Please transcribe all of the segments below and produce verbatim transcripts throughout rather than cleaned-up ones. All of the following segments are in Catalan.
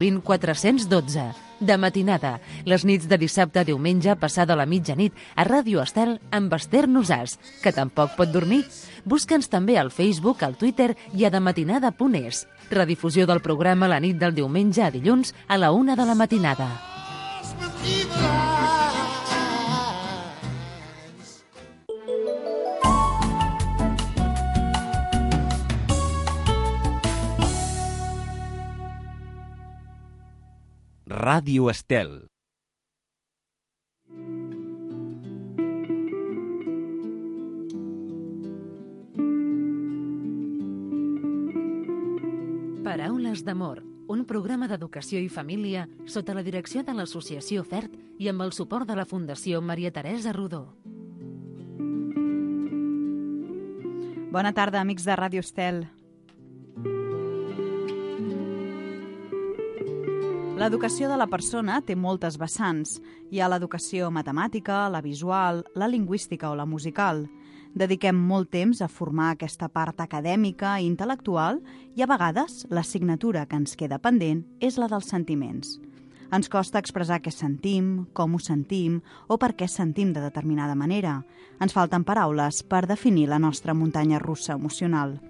vint quatre-cents dotze. De matinada, les nits de dissabte a diumenge passada la mitjanit a Ràdio Estel amb Esther Nosàs, que tampoc pot dormir. Busca'ns també al Facebook, al Twitter i a dematinada punt es. Redifusió del programa la nit del diumenge a dilluns a la una de la matinada. Ràdio Estel. Paraules d'amor, un programa d'educació i família sota la direcció de l'Associació FERT i amb el suport de la Fundació Maria Teresa Rodó. Bona tarda, amics de Ràdio Estel. L'educació de la persona té moltes vessants. Hi ha l'educació matemàtica, la visual, la lingüística o la musical. Dediquem molt temps a formar aquesta part acadèmica i intel·lectual i a vegades l'assignatura que ens queda pendent és la dels sentiments. Ens costa expressar què sentim, com ho sentim o per què sentim de determinada manera. Ens falten paraules per definir la nostra muntanya russa emocional.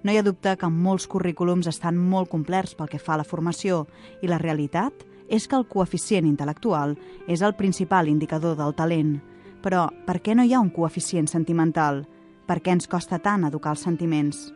No hi ha dubte que molts currículums estan molt complerts pel que fa a la formació i la realitat és que el coeficient intel·lectual és el principal indicador del talent. Però per què no hi ha un coeficient sentimental? Per què ens costa tant educar els sentiments?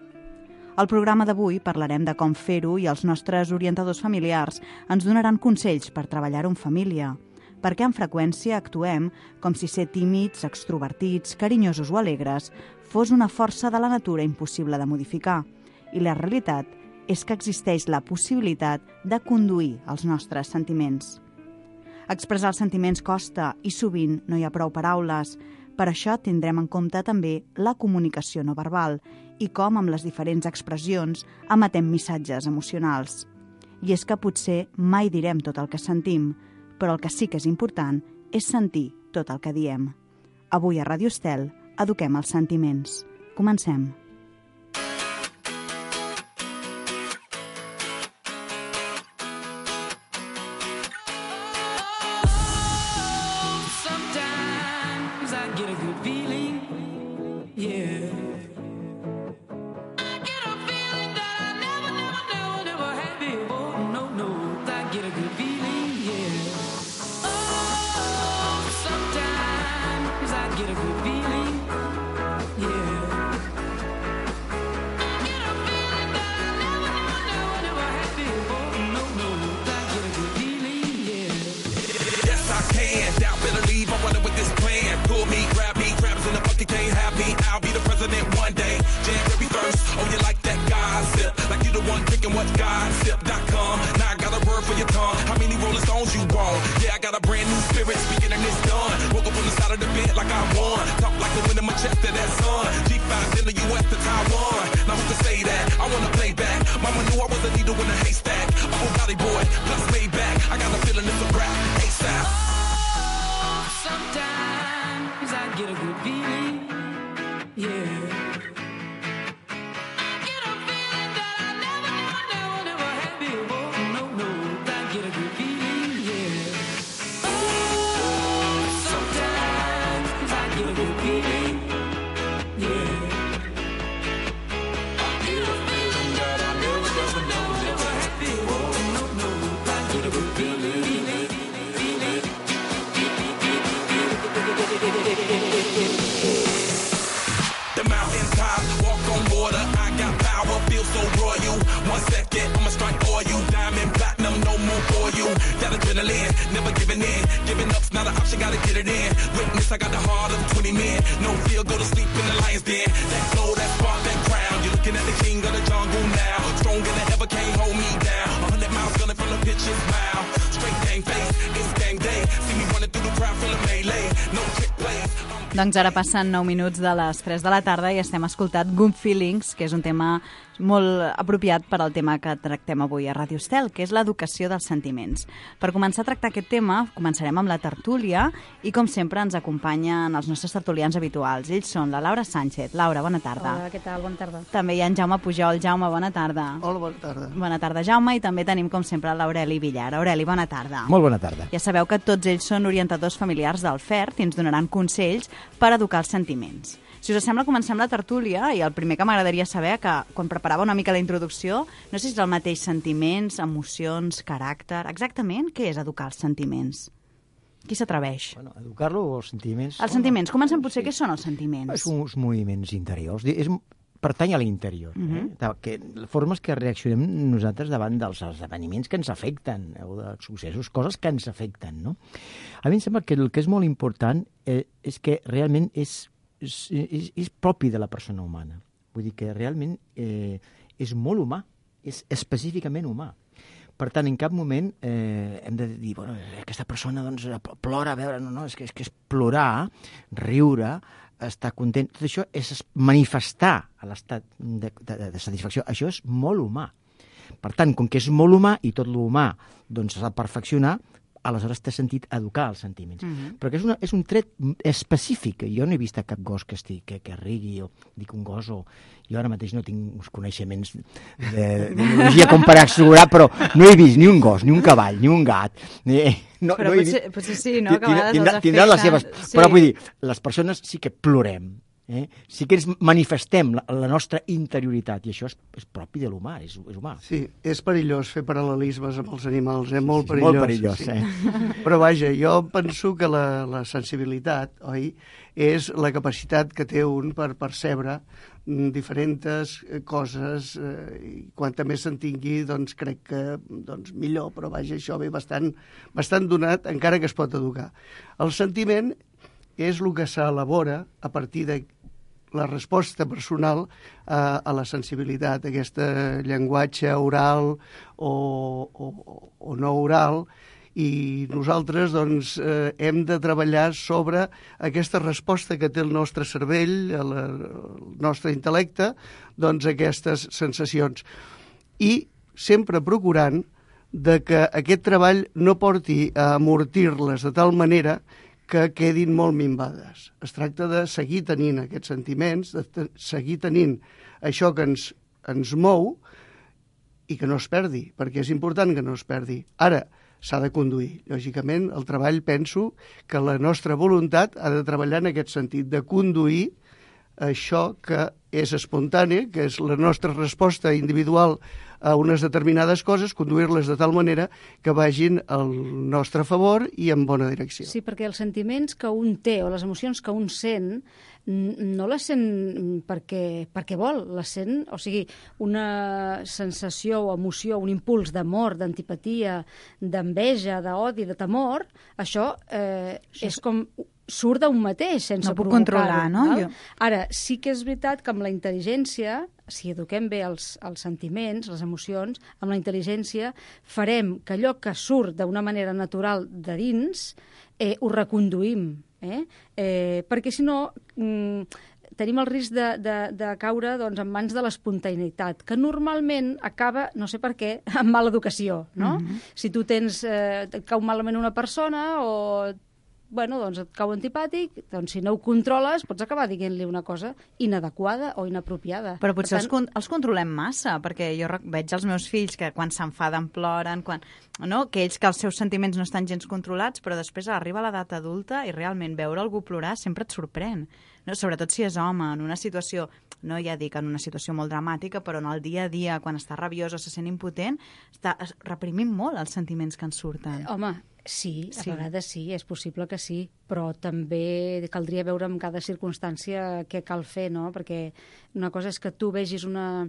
Al programa d'avui parlarem de com fer-ho i els nostres orientadors familiars ens donaran consells per treballar-ho en família. Perquè amb freqüència actuem com si ser tímids, extrovertits, carinyosos o alegres fos una força de la natura impossible de modificar. I la realitat és que existeix la possibilitat de conduir els nostres sentiments. Expressar els sentiments costa i sovint no hi ha prou paraules. Per això tindrem en compte també la comunicació no verbal i com amb les diferents expressions emetem missatges emocionals. I és que potser mai direm tot el que sentim, però el que sí que és important és sentir tot el que diem. Avui a Ràdio Estel eduquem els sentiments. Comencem. Doncs ara passen nou minuts de les tres de la tarda i estem escoltant Good Feelings, que és un tema molt apropiat per al tema que tractem avui a Ràdio Estel, que és l'educació dels sentiments. Per començar a tractar aquest tema, començarem amb la tertúlia i, com sempre, ens acompanyen els nostres tertulians habituals. Ells són la Laura Sánchez. Laura, bona tarda. Hola, què tal? Bona tarda. També hi ha en Jaume Pujol. Jaume, bona tarda. Hola, bona tarda. Bona tarda, Jaume, i també tenim, com sempre, l'Aureli Villar. Aureli, bona tarda. Molt bona tarda. Ja sabeu que tots ells són orientadors familiars del F E R T i ens donaran consells per educar els sentiments. Si us sembla, comencem la tertúlia i el primer que m'agradaria saber, que quan preparava una mica la introducció, no sé si és el mateix sentiments, emocions, caràcter... Exactament, què és educar els sentiments? Qui s'atreveix? Bueno, educar-lo o els sentiments... Els sentiments. Comencem potser, sí. Què són els sentiments? Són uns moviments interiors. És, pertany a l'interior. Uh-huh. eh? que, formes que reaccionem nosaltres davant dels esdeveniments que ens afecten, o de successos, coses que ens afecten, no? A mi em sembla que el que és molt important eh, és que realment és És, és, és propi de la persona humana. Vull dir que realment eh, és molt humà, és específicament humà. Per tant, en cap moment eh, hem de dir, bueno, aquesta persona doncs, plora, a veure, no, no, és que és, que és plorar, riure, estar content. Tot això és manifestar a l'estat de, de, de satisfacció. Això és molt humà. Per tant, com que és molt humà i tot l'humà doncs, s'ha de perfeccionar, aleshores té sentit educar els sentiments. Uh-huh. Però que és, una, és un tret específic. Jo no he vist cap gos que, estigui, que, que rigui, o dic un gos, o jo ara mateix no tinc uns coneixements de, de biologia com per assegurar, però no he vist ni un gos, ni un cavall, ni un gat. Ni, no, però no potser, potser sí, no? Que a vegades tindrà, els tindrà les seves... Sí. Però vull dir, les persones sí que plorem. Eh? Sí que ens manifestem la, la nostra interioritat, i això és, és propi de l'humà, és, és humà. Sí, és perillós fer paral·lelismes amb els animals, eh? Molt sí, perillós. Molt perillós, sí. eh? Però vaja, jo penso que la, la sensibilitat, oi, és la capacitat que té un per percebre diferents coses, eh, i quanta més se'n tingui, doncs crec que doncs, millor, però vaja, això ve bastant, bastant donat, encara que es pot educar. El sentiment és el que s'elabora a partir de la resposta personal a, a la sensibilitat, aquest llenguatge oral o, o, o no oral, i nosaltres doncs, eh, hem de treballar sobre aquesta resposta que té el nostre cervell, el, el nostre intel·lecte, doncs aquestes sensacions. I sempre procurant de que aquest treball no porti a amortir-les de tal manera que quedin molt minvades. Es tracta de seguir tenint aquests sentiments, de te- seguir tenint això que ens, ens mou i que no es perdi, perquè és important que no es perdi. Ara, s'ha de conduir. Lògicament, el treball, penso que la nostra voluntat ha de treballar en aquest sentit, de conduir això que és espontani, que és la nostra resposta individual a unes determinades coses, conduir-les de tal manera que vagin al nostre favor i en bona direcció. Sí, perquè els sentiments que un té o les emocions que un sent no les sent perquè, perquè vol, les sent, o sigui, una sensació o emoció, un impuls d'amor, d'antipatia, d'enveja, d'odi, de temor, això eh, és com surt d'un mateix, sense no puc provocar-ho. controlar, no? Val? Jo... Ara, sí que és veritat que amb la intel·ligència, si eduquem bé els, els sentiments, les emocions, amb la intel·ligència farem que allò que surt d'una manera natural de dins eh, ho reconduïm. Eh? Eh, perquè si no... Mm, tenim el risc de, de, de caure doncs, en mans de l'espontaneïtat, que normalment acaba, no sé per què, amb mala educació, no? Mm-hmm. Si tu tens, eh, et cau malament una persona o bueno, doncs et cau antipàtic, doncs si no ho controles pots acabar dient-li una cosa inadequada o inapropiada. Però potser per tant... els, con els controlem massa, perquè jo veig els meus fills que quan s'enfaden ploren, quan... no? Que ells que els seus sentiments no estan gens controlats, però després arriba l'edat adulta i realment veure algú plorar sempre et sorprèn. No? Sobretot si és home, en una situació, no ja dic en una situació molt dramàtica, però en el dia a dia, quan està rabiós o se sent impotent, està reprimint molt els sentiments que ens surten. Home, sí, a sí. vegades sí, és possible que sí, però també caldria veure en cada circumstància què cal fer, no? Perquè una cosa és que tu vegis una,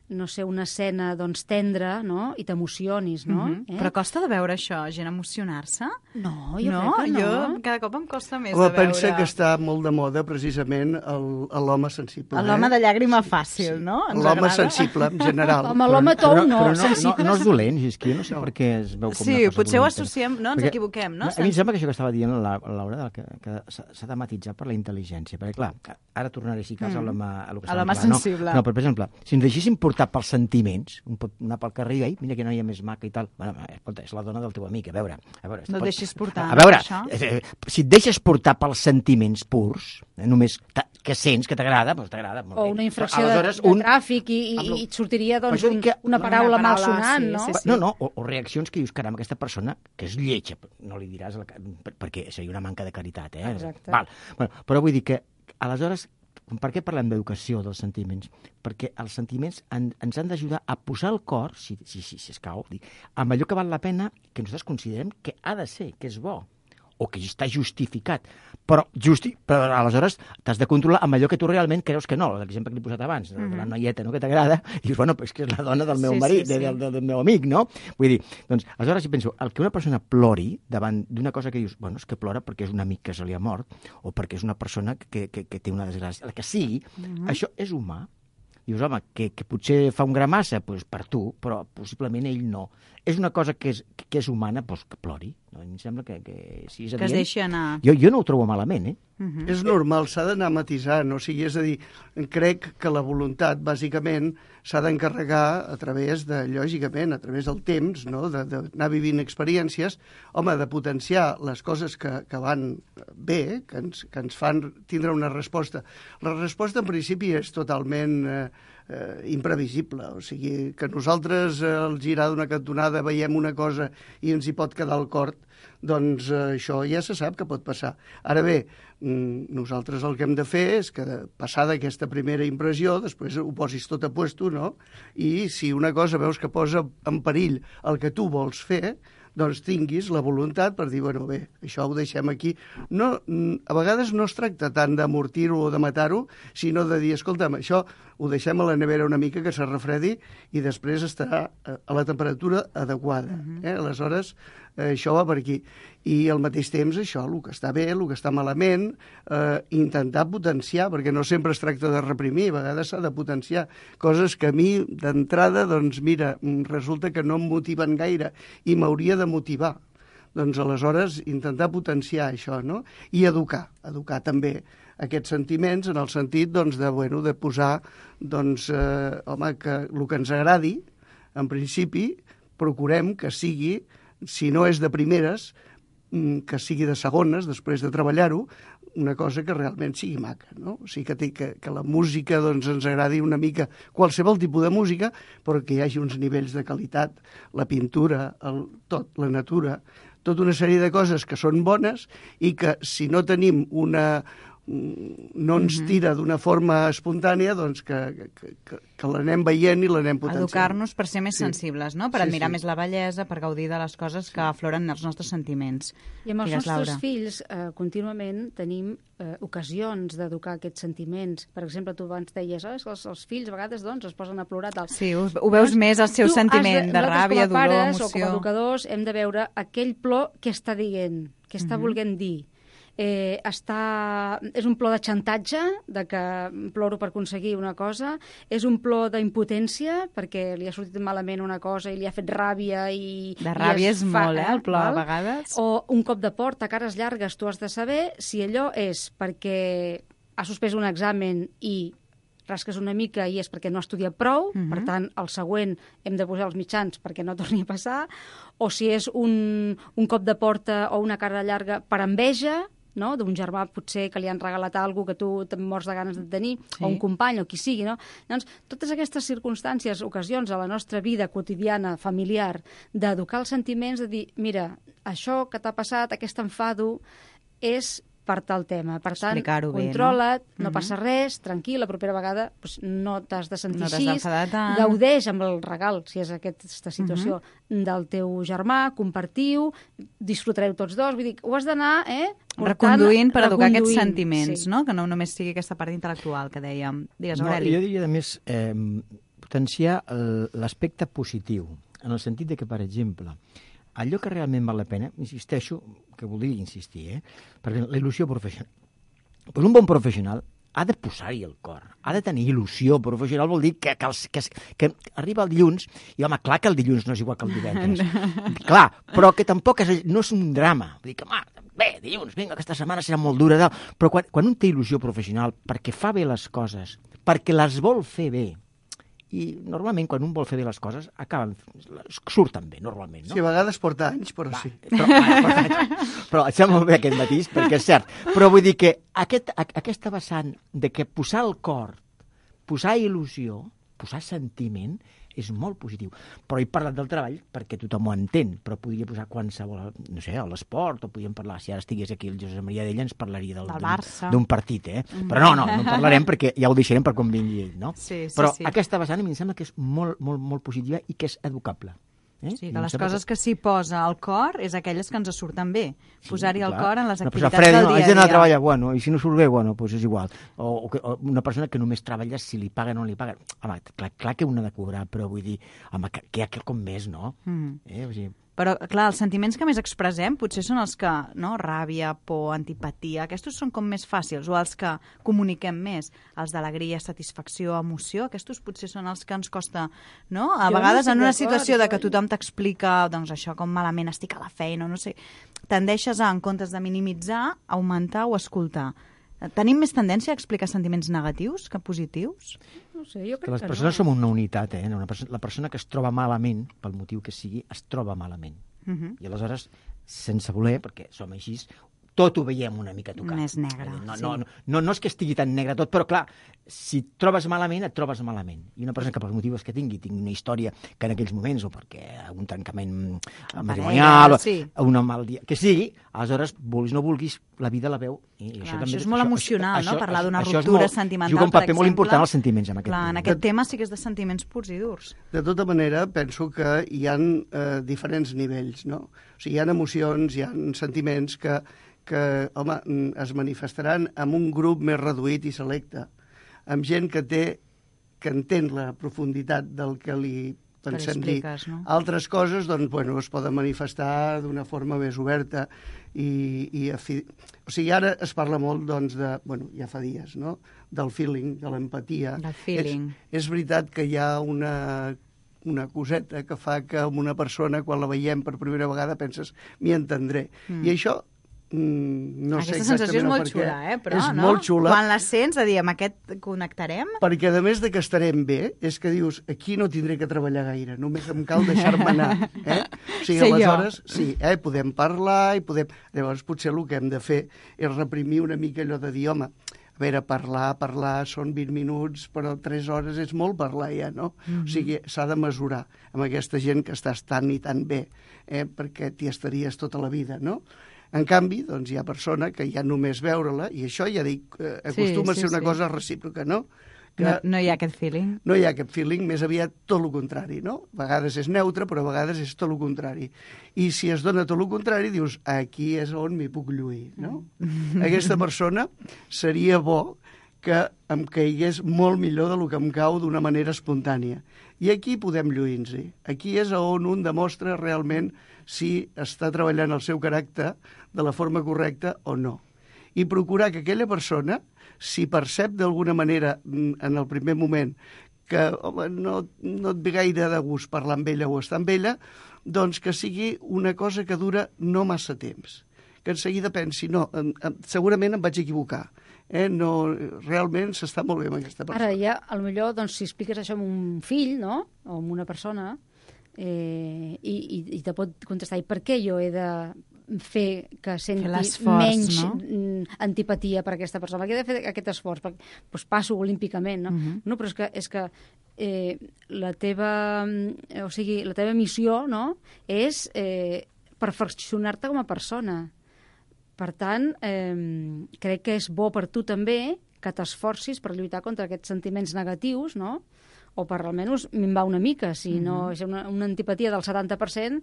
no sé, una escena doncs, tendra, no? I t'emocionis, no? Mm-hmm. eh? Però costa de veure això, gent emocionar-se? No, jo no? crec que no. Jo cada cop em costa més Home, de veure... pensa que està molt de moda precisament l'home sensible. L'home eh? de llàgrima fàcil, no? L'home sensible, en general. Home, l'home tou però, no, però no, no, sensible... no és dolent, és que jo no sé per què es veu com Sí, una cosa potser ho dolenta. associem, no? Ens Perquè, equivoquem, no? A mi em sembla que això que estava dient la, la Laura, que, que s'ha de matitzar per la intel·ligència, perquè clar, ara tornaré si cas Mm. a l'home a lo que A l'home estàvem parlant, sensible. No, no, però per exemple, si ens deixéssim portar portar pels sentiments, un pot anar pel carrer i dir, mira que noia més maca i tal. Bueno, escolta, és la dona del teu amic, a veure... A veure no et deixis portar, a veure, això. Eh, si et deixes portar pels sentiments purs, eh, només que sents que t'agrada, doncs t'agrada. O una infracció de, de un... tràfic i, i, i et sortiria doncs, un, que... una paraula, una paraula malsonant, sí, no? Sí, sí. No, no, o, o reaccions que dius, caram, aquesta persona que és lletja, no li diràs, la... perquè seria una manca de caritat, eh? Exacte. Val. Bueno, però vull dir que, aleshores, per què parlem d'educació dels sentiments? Perquè els sentiments en, ens han d'ajudar a posar el cor, si, si, si, si escau, dic, amb allò que val la pena, que nosaltres considerem que ha de ser, que és bo, o que està justificat. Però, justi... però aleshores t'has de controlar amb allò que tu realment creus que no. L'exemple que l'he posat abans, de, de la noieta, no?, que t'agrada, i dius, bueno, però és que és la dona del meu sí, marit, sí, sí. Del, del, del meu amic, no? Vull dir, doncs, aleshores si penso, el que una persona plori davant d'una cosa que dius, bueno, és que plora perquè és un amic que se li ha mort, o perquè és una persona que, que, que té una desgràcia, el que sigui, uh-huh. Això és humà. Dius, home, que, que potser fa un gra massa, doncs per tu, però possiblement ell no. És una cosa que és, que és humana, doncs que plori. No? A mi em sembla que, que si és adient... Que es deixi anar. Jo, jo no ho trobo malament, eh? Uh-huh. És normal, s'ha d'anar matisant, o sigui, és a dir, crec que la voluntat, bàsicament, s'ha d'encarregar a través de, lògicament, a través del temps, no?, d'anar vivint experiències, home, de potenciar les coses que, que van bé, que ens, que ens fan tindre una resposta. La resposta, en principi, és totalment eh, eh, imprevisible, o sigui, que nosaltres eh, al girar d'una cantonada veiem una cosa i ens hi pot quedar el cor, doncs eh, això ja se sap que pot passar. Ara bé, nosaltres el que hem de fer és que, passada aquesta primera impressió, després ho posis tot a puesto, no? I si una cosa veus que posa en perill el que tu vols fer, doncs tinguis la voluntat per dir, bueno, bé, això ho deixem aquí. No, a vegades no es tracta tant d'amortir-ho o de matar-ho, sinó de dir, escolta'm, això ho deixem a la nevera una mica que se refredi i després estarà a la temperatura adequada. Eh? Aleshores, eh, això va per aquí. I al mateix temps, això, el que està bé, el que està malament, eh, intentar potenciar, perquè no sempre es tracta de reprimir, a vegades s'ha de potenciar coses que a mi, d'entrada, doncs mira, resulta que no em motiven gaire i m'hauria de motivar. Doncs aleshores intentar potenciar això, no? I educar, educar també aquests sentiments en el sentit doncs, de, bueno, de posar doncs, eh, home, que el que ens agradi, en principi, procurem que sigui, si no és de primeres, que sigui de segones, després de treballar-ho, una cosa que realment sigui maca, no? O sigui, que, té, que, que la música doncs, ens agradi una mica, qualsevol tipus de música, però que hi hagi uns nivells de qualitat, la pintura, el, tot, la natura, tota una sèrie de coses que són bones i que si no tenim una... no ens tira d'una forma espontània, doncs que, que, que, que l'anem veient i l'anem potenciant. Educar-nos per ser més sí. sensibles, no? Per sí, admirar sí. més la bellesa, per gaudir de les coses que afloren els nostres sentiments. I amb els Digues, nostres Laura. fills eh, contínuament tenim eh, ocasions d'educar aquests sentiments. Per exemple, tu abans deies, oh, els, els fills a vegades doncs, es posen a plorar. Tal. Sí, ho, ho veus doncs, més, el seu sentiment de, de ràbia, dolor, pares, emoció. O com a educadors hem de veure aquell plor que està dient, que està uh-huh. volent dir. Eh, està... És un plor de xantatge, de que ploro per aconseguir una cosa, és un plor d'impotència, perquè li ha sortit malament una cosa i li ha fet ràbia i... De ràbia i és fa, molt, eh, el plor, val? A vegades. O un cop de porta, cares llargues, tu has de saber si allò és perquè ha suspès un examen i rasques una mica i és perquè no ha estudiat prou, uh-huh. per tant, el següent hem de posar els mitjans perquè no torni a passar, o si és un, un cop de porta o una cara llarga per enveja, no? D'un germà potser que li han regalat alguna cosa que tu te'n mors de ganes de tenir, sí. o un company, o qui sigui, no? Doncs totes aquestes circumstàncies, ocasions a la nostra vida quotidiana, familiar, d'educar els sentiments, de dir, mira, això que t'ha passat, aquest enfado, és per tal tema. Per tant, controla't, bé, no, no uh-huh. passa res, tranquil, la propera vegada doncs, no t'has de sentir no així, gaudeix amb el regal, si és aquesta situació, uh-huh. del teu germà, compartiu, disfrutareu tots dos, vull dir, ho has d'anar, eh? Portant, reconduint per educar reconduint, aquests sentiments, sí. no? Que no només sigui aquesta part intel·lectual que dèiem. Digues, Aureli. No, jo diria, a més, eh, potenciar l'aspecte positiu, en el sentit de que, per exemple, allò que realment val la pena, insisteixo, que voldria insistir, eh? Perquè la il·lusió professional. Pues un bon professional ha de posar-hi el cor, ha de tenir il·lusió professional, vol dir que, que, els, que, que arriba el dilluns, i home, clar que el dilluns no és igual que el divendres, clar, però que tampoc és, no és un drama, vull dir que, home, bé, dilluns, vinga, aquesta setmana serà molt dura, però quan, quan un té il·lusió professional perquè fa bé les coses, perquè les vol fer bé, i normalment quan un vol fer bé les coses acaben, surten bé, normalment, no? Sí, a vegades porta anys, però Va, sí. Però, ah, porta anys. Però em sembla molt bé aquest matís, perquè és cert. Però vull dir que aquest, aquesta vessant de que posar el cor, posar il·lusió, posar sentiment, és molt positiu. Però he parlat del treball perquè tothom ho entén, però podria posar qualsevol, no sé, a l'esport, o podríem parlar, si ara estigués aquí el Josep Maria d'Ella, ens parlaria del, del Barça. d'un partit, eh? Mm. Però no, no, no en parlarem perquè ja ho deixarem per quan vingui ell, no? Sí, sí, però sí. aquesta vessant a mi em sembla que és molt, molt, molt positiva i que és educable. Eh? Sí, que les coses que s'hi posa al cor és aquelles que ens surten bé. Sí, Posar-hi el cor en les activitats Freda, del no, dia a dia. Haig d'anar a treballar, bueno, i si no surt bé, bueno, pues és igual. O, o, que, o una persona que només treballa si li paguen o no li paguen. Home, clar, clar que un ha de cobrar, però vull dir, home, que, que hi ha quelcom més, no? Mm. Eh? O sigui, però, clar, els sentiments que més expressem potser són els que, no?, ràbia, por, antipatia, aquests són com més fàcils, o els que comuniquem més, els d'alegria, satisfacció, emoció, aquests potser són els que ens costa, no? A jo vegades no en una situació de que tothom t'explica, doncs això, com malament estic a la feina, no sé, tendeixes a, en comptes de minimitzar, augmentar o escoltar. Tenim més tendència a explicar sentiments negatius que positius? No sé, jo crec que les que persones no. som una unitat, eh? Una persona, la persona que es troba malament, pel motiu que sigui, es troba malament. Uh -huh. I aleshores, sense voler, perquè som així, tot ho veiem una mica tocat. Més negre, no, sí. no, no, no, no és que estigui tan negre tot, però clar, si et trobes malament, et trobes malament. I una persona que pels motius que tingui, tingui una història que en aquells moments, o perquè un tancament matrimonial, sí. o una mal dia, que sigui, aleshores, vulguis o no vulguis, la vida la veu. I clar, això, això també, és molt això, emocional, això, no? Parlar d'una això ruptura molt, sentimental, juga un paper per molt exemple. important als sentiments en aquest clar, tema. en aquest tema sí que és de sentiments purs i durs. De tota manera, penso que hi ha eh, diferents nivells, no? O sigui, hi ha emocions, hi ha sentiments que, que home, es manifestaran en un grup més reduït i selecte, amb gent que té, que entén la profunditat del que li pensem dir. No? Altres coses, doncs, bueno, es poden manifestar d'una forma més oberta i, i afi... o sigui, ara es parla molt, doncs, de, bueno, ja fa dies, no?, del feeling, de l'empatia. Del feeling. És, és veritat que hi ha una, una coseta que fa que amb una persona, quan la veiem per primera vegada, penses, m'hi entendré. Mm. I això no Aquesta sé sensació és molt per xula, què. eh? Però, és no? molt xula. Quan la sents, a dir, amb aquest connectarem... Perquè, a més de que estarem bé, és que dius, aquí no tindré que treballar gaire, només em cal deixar-me anar. Eh? O sigui, Sé aleshores, jo. sí, eh? podem parlar i podem... Llavors, potser el que hem de fer és reprimir una mica allò de dir, home, a veure, parlar, parlar, són vint minuts, però tres hores és molt parlar ja, no? Mm-hmm. O sigui, s'ha de mesurar amb aquesta gent que estàs tan i tan bé, eh? perquè t'hi estaries tota la vida, no? En canvi, doncs, hi ha persona que ja només veure-la, i això ja dic, eh, acostuma sí, sí, a ser una sí. cosa recíproca, no? Que no, no hi ha aquest feeling. No hi ha aquest feeling, més aviat tot el contrari, no? A vegades és neutre, però a vegades és tot el contrari. I si es dona tot el contrari, dius, aquí és on m'hi puc lluir, no? Mm. Aquesta persona seria bo que em caigués molt millor del que em cau d'una manera espontània. I aquí podem lluir-nos-hi. Aquí és on un demostra realment si està treballant el seu caràcter de la forma correcta o no. I procurar que aquella persona, si percep d'alguna manera en el primer moment que home, no, no et ve gaire de gust parlar amb ella o estar amb ella, doncs que sigui una cosa que dura no massa temps. Que en seguida pensi, no, em, em, segurament em vaig equivocar. Eh? No, realment s'està molt bé amb aquesta persona. Ara ja, potser, doncs, si expliques això amb un fill, no?, o amb una persona, eh, i, i, i te pot contestar, i per què jo he de fer que senti menys no? antipatia per aquesta persona? Per què he de fer aquest esforç? Perquè, doncs passo olímpicament, no? Uh-huh. No, però és que, és que eh, la teva, o sigui, la teva missió, no?, és eh, perfeccionar-te com a persona. Per tant, eh, crec que és bo per tu també que t'esforcis per lluitar contra aquests sentiments negatius, no?, o per almenys minvar una mica. Si no és una, una antipatia del setanta per cent,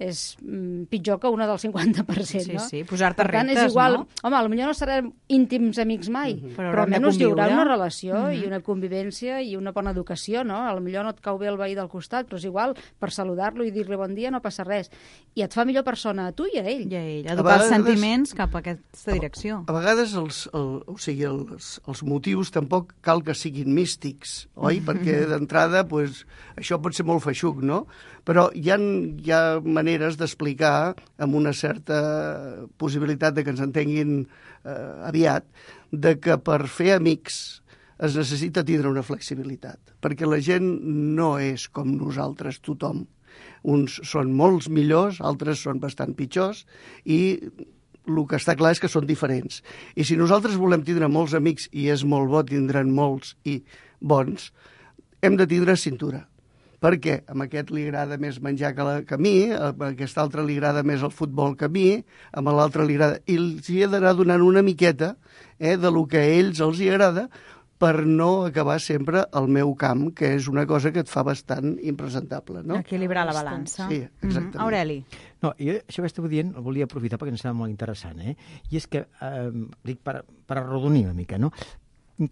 és mm, pitjor que una del cinquanta per cent, sí, no? Sí, sí, posar-te per tant, reptes, és igual, no? Home, potser no serem íntims amics mai, uh-huh. però, però almenys hi haurà una relació uh-huh. i una convivència i una bona educació, no? Potser no et cau bé el veí del costat, però és igual, per saludar-lo i dir-li bon dia no passa res. I et fa millor persona a tu i a ell. I a ell, educar els sentiments cap a aquesta direcció. A, a vegades els, el, o sigui, els, els motius tampoc cal que siguin místics, oi? Perquè d'entrada, pues, això pot ser molt feixuc, no? Però hi ha, hi ha maneres d'explicar amb una certa possibilitat de que ens entenguin eh, aviat, de que per fer amics es necessita tindre una flexibilitat, perquè la gent no és com nosaltres, tothom. Uns són molts millors, altres són bastant pitjors, i el que està clar és que són diferents. I si nosaltres volem tindre molts amics, i és molt bo tindre'n molts i bons, hem de tindre cintura. Perquè a aquest li agrada més menjar que, la, que a mi, a aquest altre li agrada més el futbol que a mi, a l'altre li agrada... I els hi he d'anar donant una miqueta eh, de lo que a ells els hi agrada, per no acabar sempre al meu camp, que és una cosa que et fa bastant impresentable, no? Equilibrar la balança. Sí, exactament. Mm-hmm. Aureli. No, jo això que estava dient el volia aprofitar perquè em sembla molt interessant, eh? I és que, eh, dic, per, per arrodonir una mica, no?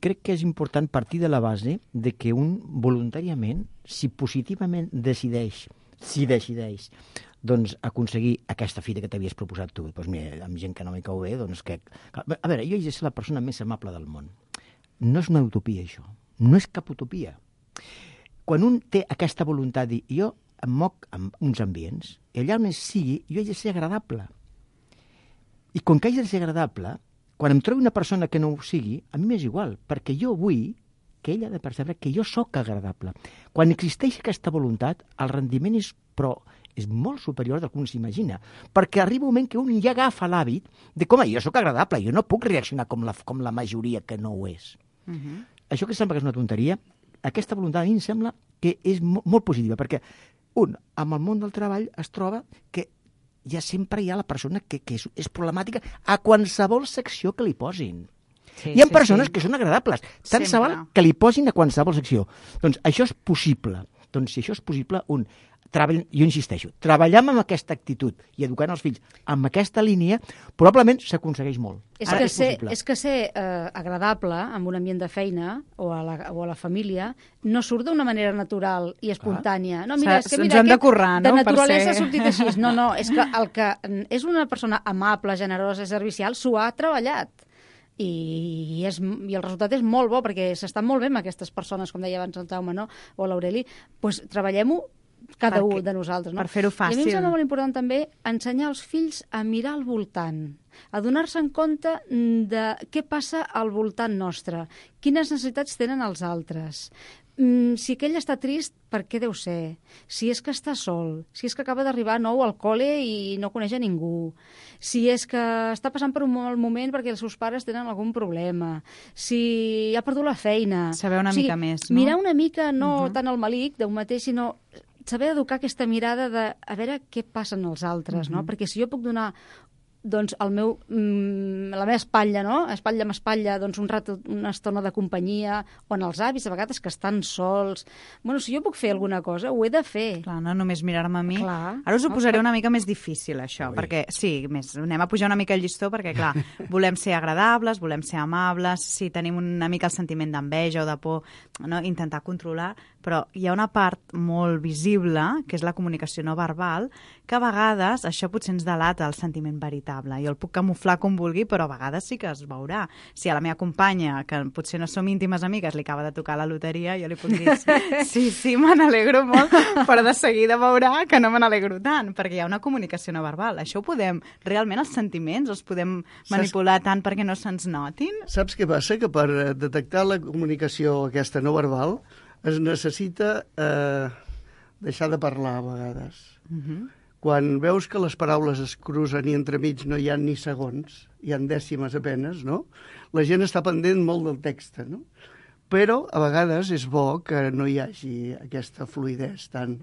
Crec que és important partir de la base de que un voluntàriament, si positivament decideix, si decideix, doncs aconseguir aquesta fita que t'havies proposat tu, doncs mira, amb gent que no m'hi cau bé, doncs que... A veure, jo he de ser la persona més amable del món. No és una utopia, això. No és cap utopia. Quan un té aquesta voluntat de dir, jo em moc en uns ambients, i allà on sigui, jo he de ser agradable. I com que he de ser agradable, quan em trobo una persona que no ho sigui, a mi m'és igual, perquè jo vull que ella ha de percebre que jo sóc agradable. Quan existeix aquesta voluntat, el rendiment és, però, és molt superior del que un s'imagina, perquè arriba un moment que un ja agafa l'hàbit de com jo sóc agradable, jo no puc reaccionar com la, com la majoria que no ho és. Uh-huh. Això que sembla que és una tonteria, aquesta voluntat a mi em sembla que és mo- molt positiva, perquè un, amb el món del treball es troba que ja sempre hi ha la persona que, que és, és problemàtica a qualsevol secció que li posin. Sí, hi ha sí, persones sí. que són agradables, tant se val que li posin a qualsevol secció. Doncs això és possible. Doncs si això és possible, un, treball, jo insisteixo, treballar amb aquesta actitud i educant els fills amb aquesta línia, probablement s'aconsegueix molt. És Ara, que, és, ser, és que ser eh, agradable en un ambient de feina o a la, o a la família no surt d'una manera natural i espontània. No, mira, és que mira, aquest, de, currar, no? de naturalesa ser... ha sortit així. No, no, és que el que és una persona amable, generosa, servicial, s'ho ha treballat. I, és, i el resultat és molt bo, perquè s'estan molt bé amb aquestes persones, com deia abans el Jaume, no? O l'Aureli, doncs treballem-ho cada un de nosaltres. No? Per fer-ho fàcil. I a mi em sembla molt important també ensenyar als fills a mirar al voltant, a donar-se en compte de què passa al voltant nostre, quines necessitats tenen els altres. Mm, si aquell està trist, per què deu ser? Si és que està sol, si és que acaba d'arribar nou al col·le i no coneix a ningú, si és que està passant per un mal moment perquè els seus pares tenen algun problema, si ha perdut la feina... Saber una o sigui, mica més, no? Mirar una mica, no uh-huh. tant el malic d'un mateix, sinó saber educar aquesta mirada de a veure què passen els altres, uh-huh. no? Perquè si jo puc donar doncs el meu, mm, la meva espatlla, no? Espatlla amb espatlla, doncs un rato, una estona de companyia, o en els avis, a vegades que estan sols. Bueno, si jo puc fer alguna cosa, ho he de fer. Clar, no només mirar-me a mi. Clar. Ara us ho posaré una mica més difícil, això, Ui. perquè, sí, més, anem a pujar una mica el llistó, perquè, clar, volem ser agradables, volem ser amables, sí, tenim una mica el sentiment d'enveja o de por, no? Intentar controlar, però hi ha una part molt visible, que és la comunicació no verbal, que a vegades això potser ens delata el sentiment veritable. Jo el puc camuflar com vulgui, però a vegades sí que es veurà. Si a la meva companya, que potser no som íntimes amigues, li acaba de tocar la loteria, jo li puc dir, sí, sí, me n'alegro molt, però de seguida veurà que no me n'alegro tant, perquè hi ha una comunicació no verbal. Això ho podem, realment els sentiments els podem manipular Saps... tant perquè no se'ns notin? Saps què passa? Que per detectar la comunicació aquesta no verbal es necessita eh, deixar de parlar a vegades. Uh-huh. Quan veus que les paraules es cruzen i entremig no hi ha ni segons, hi ha dècimes apenes, no? La gent està pendent molt del text, no? Però a vegades és bo que no hi hagi aquesta fluïdesa tan,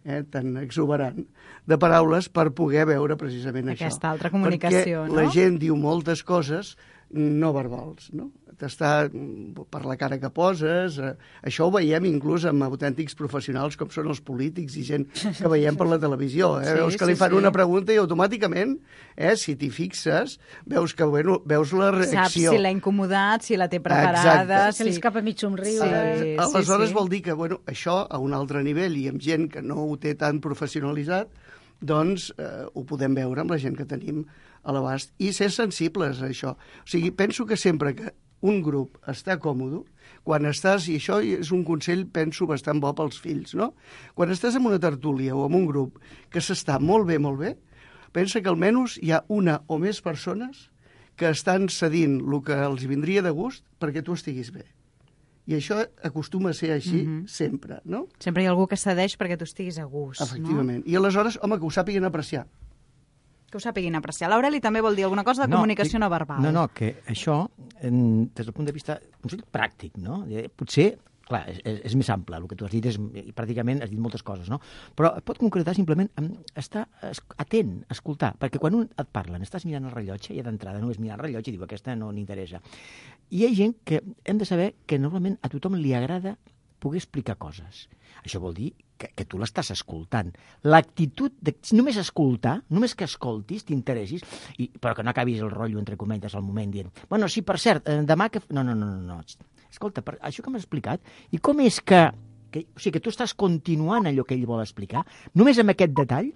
eh, tan exuberant de paraules per poder veure precisament aquesta això. Aquesta altra comunicació, Perquè no? la gent diu moltes coses no verbals, no? T'està per la cara que poses. Eh, això ho veiem inclús amb autèntics professionals com són els polítics i gent que veiem per la televisió. Eh? Sí, veus que sí, li fan sí. una pregunta i automàticament, eh, si t'hi fixes, veus que bueno, veus la reacció. Saps si l'ha incomodat, si la té preparada... Exacte. Si li escapa mig somriure. Sí, eh, aleshores sí, sí. vol dir que bueno, això a un altre nivell i amb gent que no ho té tan professionalitzat, doncs eh, ho podem veure amb la gent que tenim a l'abast i ser sensibles a això. O sigui, penso que sempre que un grup està còmode, quan estàs, i això és un consell, penso, bastant bo pels fills, no? Quan estàs en una tertúlia o en un grup que s'està molt bé, molt bé, pensa que almenys hi ha una o més persones que estan cedint el que els vindria de gust perquè tu estiguis bé. I això acostuma a ser així mm -hmm. sempre, no? Sempre hi ha algú que cedeix perquè tu estiguis a gust, Efectivament. no? I aleshores, home, que ho sàpiguen apreciar. Que ho sàpiguin apreciar. L'Aureli també vol dir alguna cosa de no, comunicació dic, no verbal. No, no, que això, en, des del punt de vista consell pràctic, no? Potser, clar, és, és més ample, el que tu has dit és, pràcticament has dit moltes coses, no? Però et pot concretar simplement en estar atent, escoltar, perquè quan un et parlen, estàs mirant el rellotge, i d'entrada no és mirar el rellotge i diu, aquesta no n'interessa. I hi ha gent que hem de saber que normalment a tothom li agrada poder explicar coses. Això vol dir que, que tu l'estàs escoltant. L'actitud de només escoltar, només que escoltis, t'interessis, i, però que no acabis el rotllo, entre comentes, al moment dient, bueno, sí, per cert, eh, demà que... No, no, no, no, no. Escolta, per, això que m'has explicat, i com és que, que... O sigui, que tu estàs continuant allò que ell vol explicar, només amb aquest detall,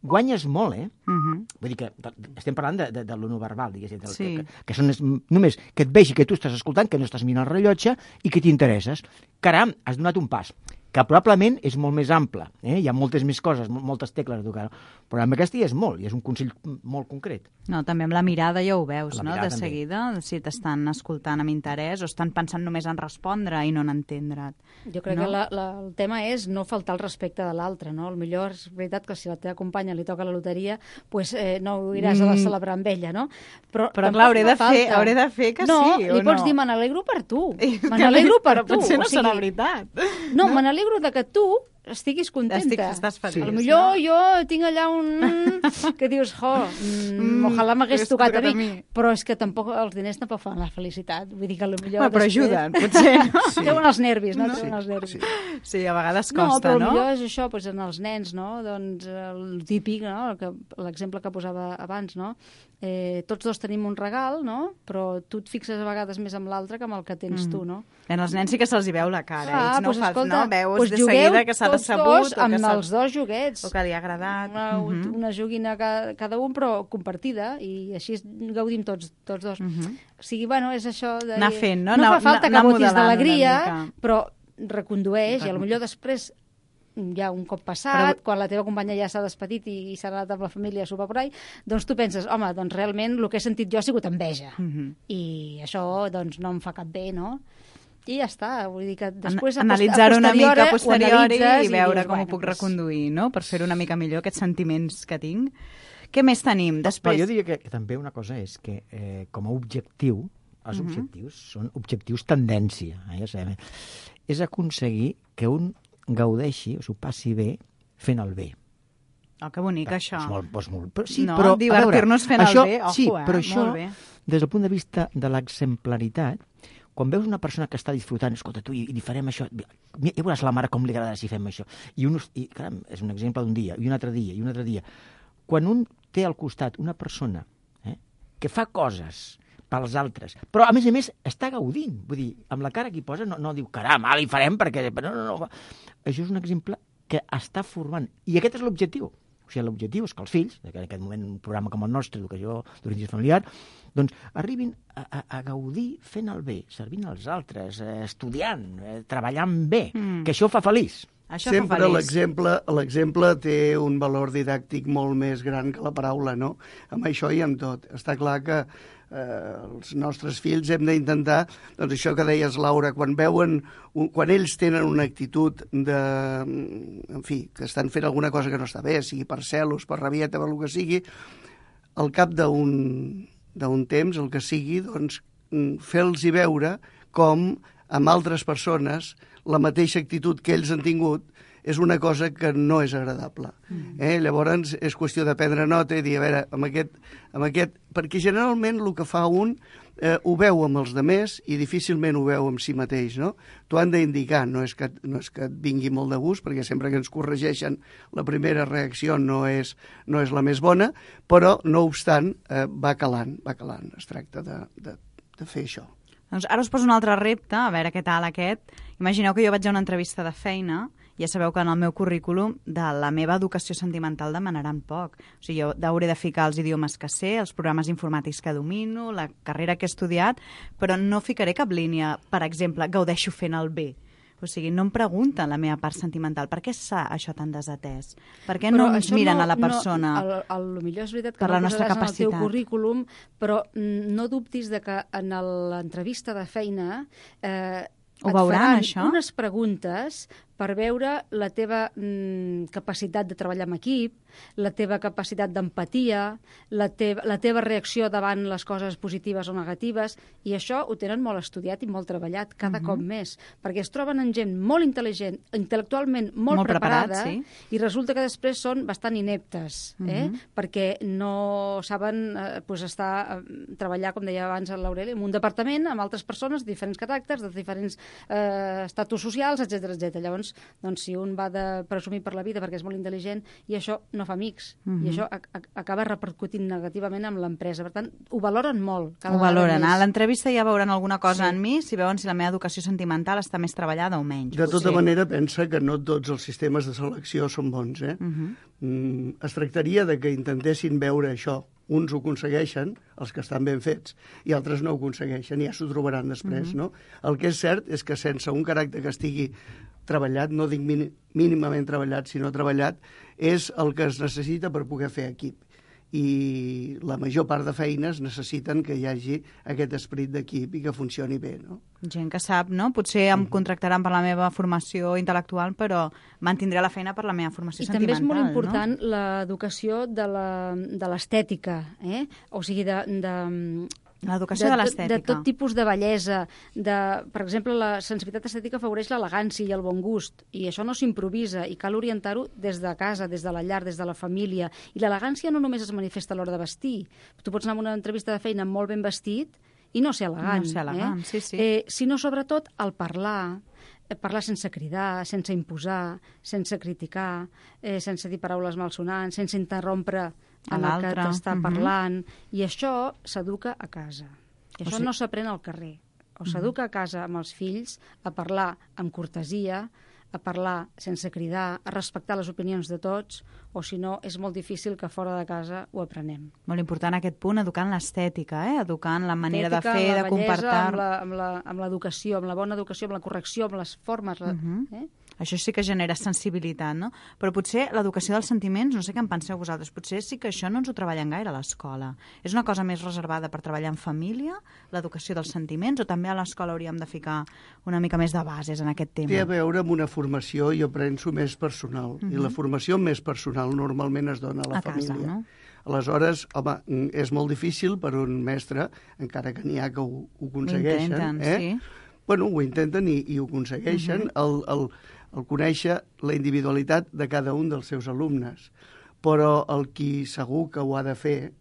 guanyes molt, eh? Uh-huh. Vull dir que estem parlant de, de, de lo no verbal, diguéssim, del, sí. que, que són només que et vegi que tu estàs escoltant, que no estàs mirant el rellotge i que t'interesses. Caram, has donat un pas, que probablement és molt més ample, eh? Hi ha moltes més coses, moltes tecles a tocar, però amb aquesta hi és molt, i és un consell molt concret. No, també amb la mirada ja ho veus, no?, de també. seguida, si t'estan escoltant amb interès o estan pensant només en respondre i no en entendre't. Jo crec no? que la, la, el tema és no faltar el respecte de l'altre, no? El millor és veritat que si la teva companya li toca la loteria, pues, eh, no ho iràs a la celebrar amb ella, no? Però, però clar, hauré de, fer, hauré de fer que no, sí, li o no? pots dir, me n'alegro per tu. Me n'alegro per però tu. potser no o sigui, serà veritat. No, no? me n'alegro de que tu estiguis contenta. Estic, estàs feliç, sí. Potser no? jo tinc allà un... que dius, jo, mm, ojalà m'hagués tocat a mi. a mi. Però és que tampoc els diners tampoc fan la felicitat. Vull dir que potser... Bueno, però després... ajuden, potser. No? Sí. Treuen els nervis, no? no? Treuen els nervis. Sí. sí, a vegades costa, no? Però no? potser és això, doncs, en els nens, no? Doncs el típic, no? L'exemple que posava abans, no? Eh, tots dos tenim un regal, no? Però tu et fixes a vegades més amb l'altre que amb el que tens mm. tu, no? En els nens sí que se'ls hi veu la cara. Ah, Ells no pues, fas, escolta, no? Veus pues de seguida que s'ha decebut. Amb que els dos joguets. O que li ha agradat. Una, uh -huh. una joguina cada, cada un, però compartida, i així gaudim tots, tots dos. Uh -huh. O sigui, bueno, és això de... Anar fent, no? No anar, fa falta anar que botis d'alegria, però recondueix, Recon... i potser després ja un cop passat, però... quan la teva companya ja s'ha despedit i, i s'ha anat amb la família a sopar por ahí, doncs tu penses, home, doncs realment el que he sentit jo ha sigut enveja. Uh -huh. I això doncs no em fa cap bé, no? I ja està, vull dir que després... An analitzar-ho una mica a posteriori i veure i dius, com bueno, ho puc pues... reconduir, no? Per fer una mica millor aquests sentiments que tinc. Què més tenim? Després... Però jo diria que, que també una cosa és que eh, com a objectiu, els uh -huh. objectius són objectius tendència, eh? Ja sabem, és aconseguir que un gaudeixi, o s'ho passi bé, fent el bé. Oh, que bonic, però, això. És molt, és molt, però, sí, no, però, divertir-nos fent això, el bé, ojo, sí, eh? però això, molt bé. Des del punt de vista de l'exemplaritat, quan veus una persona que està disfrutant, escolta, tu, i, i farem això, ja veuràs la mare com li agrada si fem això. I, un, i caram, és un exemple d'un dia, i un altre dia, i un altre dia. Quan un té al costat una persona eh, que fa coses pels altres, però a més a més està gaudint, vull dir, amb la cara que hi posa no, no diu, caram, ara hi farem perquè... No, no, no. Això és un exemple que està formant, i aquest és l'objectiu. O sigui, l'objectiu és que els fills, en aquest moment un programa com el nostre, educació d'origen familiar, doncs arribin a, a, a gaudir fent el bé, servint als altres, eh, estudiant, eh, treballant bé, mm. que això fa feliç. Això Sempre l'exemple té un valor didàctic molt més gran que la paraula, no? Amb això i amb tot. Està clar que eh, els nostres fills hem d'intentar, doncs això que deies, Laura, quan veuen, quan ells tenen una actitud de, en fi, que estan fent alguna cosa que no està bé, sigui per celos, per rabieta, per el que sigui, al cap d'un d'un temps, el que sigui, doncs, fer-los veure com amb altres persones la mateixa actitud que ells han tingut és una cosa que no és agradable. Mm. Eh? Llavors és qüestió de prendre nota i dir, a veure, amb aquest, amb aquest... perquè generalment el que fa un eh, ho veu amb els demés i difícilment ho veu amb si mateix, no? T'ho han d'indicar, no, és que, no és que et vingui molt de gust, perquè sempre que ens corregeixen la primera reacció no és, no és la més bona, però no obstant eh, va calant, va calant. Es tracta de, de, de fer això. Doncs ara us poso un altre repte, a veure què tal aquest. Imagineu que jo vaig a una entrevista de feina, ja sabeu que en el meu currículum de la meva educació sentimental demanaran poc. O sigui, jo hauré de ficar els idiomes que sé, els programes informàtics que domino, la carrera que he estudiat, però no ficaré cap línia, per exemple, gaudeixo fent el bé. O sigui, no em pregunten la meva part sentimental. Per què està això tan desatès? Per què no ens miren no, a la persona? No, el, el, el millor és veritat que per no la nostra posaràs capacitat. en el teu currículum, però no dubtis de que en l'entrevista de feina... Eh, Ho et veuran, faran això? unes preguntes per veure la teva mm, capacitat de treballar en equip, la teva capacitat d'empatia, la, teva, la teva reacció davant les coses positives o negatives, i això ho tenen molt estudiat i molt treballat, cada uh-huh. cop més, perquè es troben en gent molt intel·ligent, intel·lectualment molt, Molt preparats, preparada, sí. i resulta que després són bastant ineptes, eh? Uh-huh. perquè no saben eh, pues estar, eh, treballar, com deia abans l'Aureli, en un departament amb altres persones de diferents caràcters, de diferents eh, estatus socials, etcètera, etcètera. Llavors, doncs, si un va de presumir per la vida perquè és molt intel·ligent, i això no fa amics, uh-huh. i això a, a, acaba repercutint negativament amb l'empresa. Per tant, ho valoren molt. Cada Ho valoren. més. A l'entrevista ja veuran alguna cosa Sí. en mi, si veuen si la meva educació sentimental està més treballada o menys. De tota potser. manera, pensa que no tots els sistemes de selecció són bons. Eh? Uh-huh. Mm, es tractaria de que intentessin veure això. Uns ho aconsegueixen, els que estan ben fets, i altres no ho aconsegueixen, i ja s'ho trobaran després. Uh-huh. no? El que és cert és que sense un caràcter que estigui treballat, no dic mínimament treballat, sinó treballat, és el que es necessita per poder fer equip. I la major part de feines necessiten que hi hagi aquest esperit d'equip i que funcioni bé, no? Gent que sap, no? Potser em contractaran per la meva formació intel·lectual, però mantindré la feina per la meva formació I també sentimental. és molt important no? l'educació de la- de l'estètica, eh? O sigui, de... de L'educació de, de l'estètica. De tot tipus de bellesa. De, per exemple, la sensibilitat estètica afavoreix l'elegància i el bon gust, i això no s'improvisa, i cal orientar-ho des de casa, des de la llar, des de la família. I l'elegància no només es manifesta a l'hora de vestir. Tu pots anar a una entrevista de feina molt ben vestit i no ser elegant. No ser elegant, eh? sí, sí. Eh, sinó, sobretot, el parlar, eh, parlar sense cridar, sense imposar, sense criticar, eh, sense dir paraules malsonants, sense interrompre A en el que l'altre. t'està Mhm. parlant, i això s'educa a casa. I O això sigui- no s'aprèn al carrer. O s'educa a casa amb els fills a parlar amb cortesia, a parlar sense cridar, a respectar les opinions de tots, o si no, és molt difícil que fora de casa ho aprenem. Molt important aquest punt, educant l'estètica, eh? Educant la manera de Estètica, fer, la de bellesa, comportar... Amb la- amb la- amb l'educació, amb la bona educació, amb la correcció, amb les formes. La, Mhm. eh? Això sí que genera sensibilitat, no? Però potser l'educació dels sentiments, no sé què en penseu vosaltres, potser sí que això no ens ho treballen gaire a l'escola. És una cosa més reservada per treballar en família, l'educació dels sentiments, o també a l'escola hauríem de ficar una mica més de bases en aquest tema? Té a veure amb una formació, jo penso, més personal. Uh -huh. I la formació més personal normalment es dona a la A casa, família. no? Aleshores, home, és molt difícil per un mestre, encara que n'hi ha que ho, ho aconsegueixen. Ho intenten, eh? sí. Bueno, ho intenten i, i ho aconsegueixen, uh -huh. el, el, el conèixer la individualitat de cada un dels seus alumnes. Però el qui segur que ho ha de fer,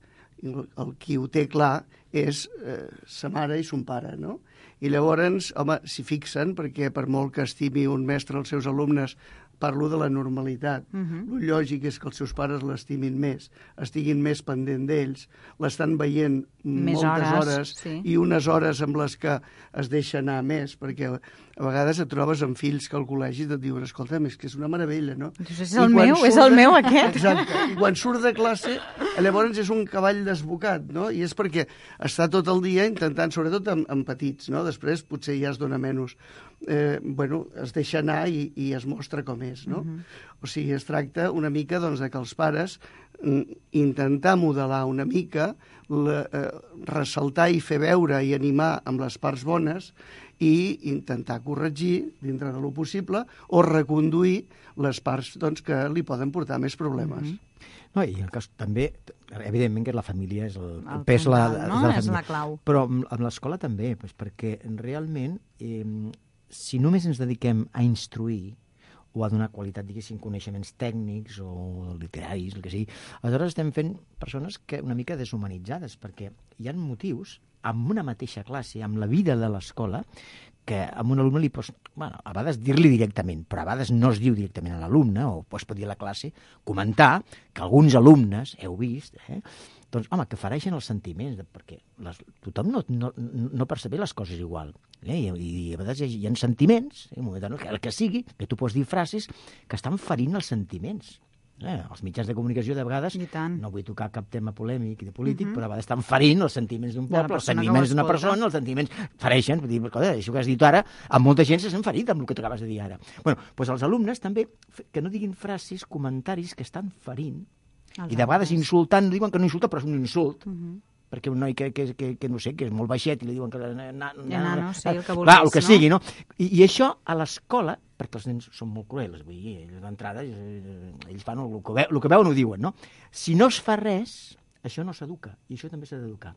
el, el qui ho té clar, és eh, sa mare i son pare, no? I llavors, home, s'hi fixen, perquè per molt que estimi un mestre els seus alumnes, parlo de la normalitat. Uh-huh. El lògic és que els seus pares l'estimin més, estiguin més pendent d'ells, l'estan veient Més moltes hores, hores sí. i unes hores amb les que es deixa anar més, perquè a vegades et trobes amb fills que al col·legi et diuen, escolta, és que és una meravella, no? Dius, és I el quan meu, surt és el de- meu aquest. Exacte. I quan surt de classe, llavors és un cavall desbocat, no? I és perquè està tot el dia intentant, sobretot amb, amb petits, no? Després potser ja es dona menys. Eh, bueno, es deixa anar i, i es mostra com és, no? Uh-huh. O sigui, es tracta una mica doncs, de que els pares mm, intentar modelar una mica, la, eh, ressaltar i fer veure i animar amb les parts bones i intentar corregir, dintre de lo possible, o reconduir les parts doncs, que li poden portar més problemes. Mhm. No, i el cas també, evidentment que la família és el, el El pes la, puntal, no? de la És família. la clau. Però amb, amb l'escola també, doncs, perquè realment, eh, si només ens dediquem a instruir o a donar qualitat, diguéssim, coneixements tècnics o literaris, el que sigui, aleshores estem fent persones que una mica deshumanitzades, perquè hi ha motius amb una mateixa classe, amb la vida de l'escola, que a un alumne li pots, bueno, a vegades dir-li directament, però a vegades no es diu directament a l'alumne, o es pot dir a la classe, comentar que alguns alumnes, heu vist, eh, doncs, home, que fereixen els sentiments, de, perquè les, tothom no, no, no percebe les coses igual. Eh? I, I a vegades hi ha, hi ha sentiments, eh, no, que el que sigui, que tu pots dir frases que estan ferint els sentiments. Eh? Els mitjans de comunicació, de vegades, I tant. no vull tocar cap tema polèmic i de polític, uh-huh. però a vegades estan ferint els sentiments d'un De la poble, els persona que ho sentiments d'una escolta. persona, els sentiments fereixen. Vull dir, escolta, això que has dit ara, amb molta gent se s'han ferit amb el que tu acabes de dir ara. Bueno, doncs els alumnes també, que no diguin frases, comentaris que estan ferint, Els i de vegades alumnes. insultant, diuen que no insulta, però és un insult. Mhm. perquè un noi que, que, que, que no sé, que és molt baixet i li diuen que... Na, na, nano, sí, el que vulguis, clar, el que no? sigui, no? I, I això a l'escola, perquè els nens són molt cruels, vull dir, d'entrada, ells fan el que, el que veuen ho diuen, no? Si no es fa res, això no s'educa, i això també s'ha d'educar.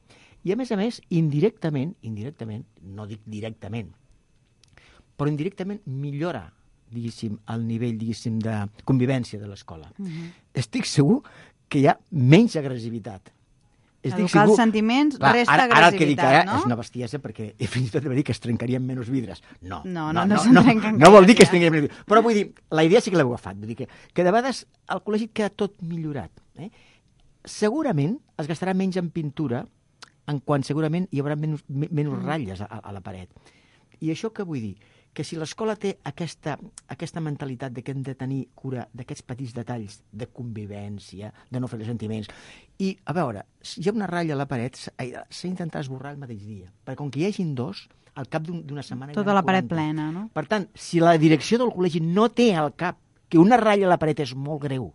I a més a més, indirectament, indirectament, no dic directament, però indirectament millora, diguéssim, el nivell, diguéssim, de convivència de l'escola. Uh-huh. Estic segur que hi ha menys agressivitat. Estic Educar segur... els sentiments, clar, resta ara, agressivitat, ara el que dic ara no? és una bestiesa, perquè fins i tot va dir que es trencarien menys vidres. No, no, no, no, no, no, no, no vol dir que es trencarien menys vidres. Però vull dir, la idea sí que l'heu agafat. Vull dir que, que de vegades al col·legi queda tot millorat. Eh? Segurament es gastarà menys en pintura en quan segurament hi haurà menys, menys ratlles a, a la paret. I això què vull dir? Que si l'escola té aquesta, aquesta mentalitat de que hem de tenir cura d'aquests petits detalls de convivència, de no fer els sentiments, i, a veure, si hi ha una ratlla a la paret, s'ha d'intentar esborrar el mateix dia, perquè com que hi hagin dos, al cap d'una setmana... Tota la paret plena, no? Per tant, si la direcció del col·legi no té al cap que una ratlla a la paret és molt greu,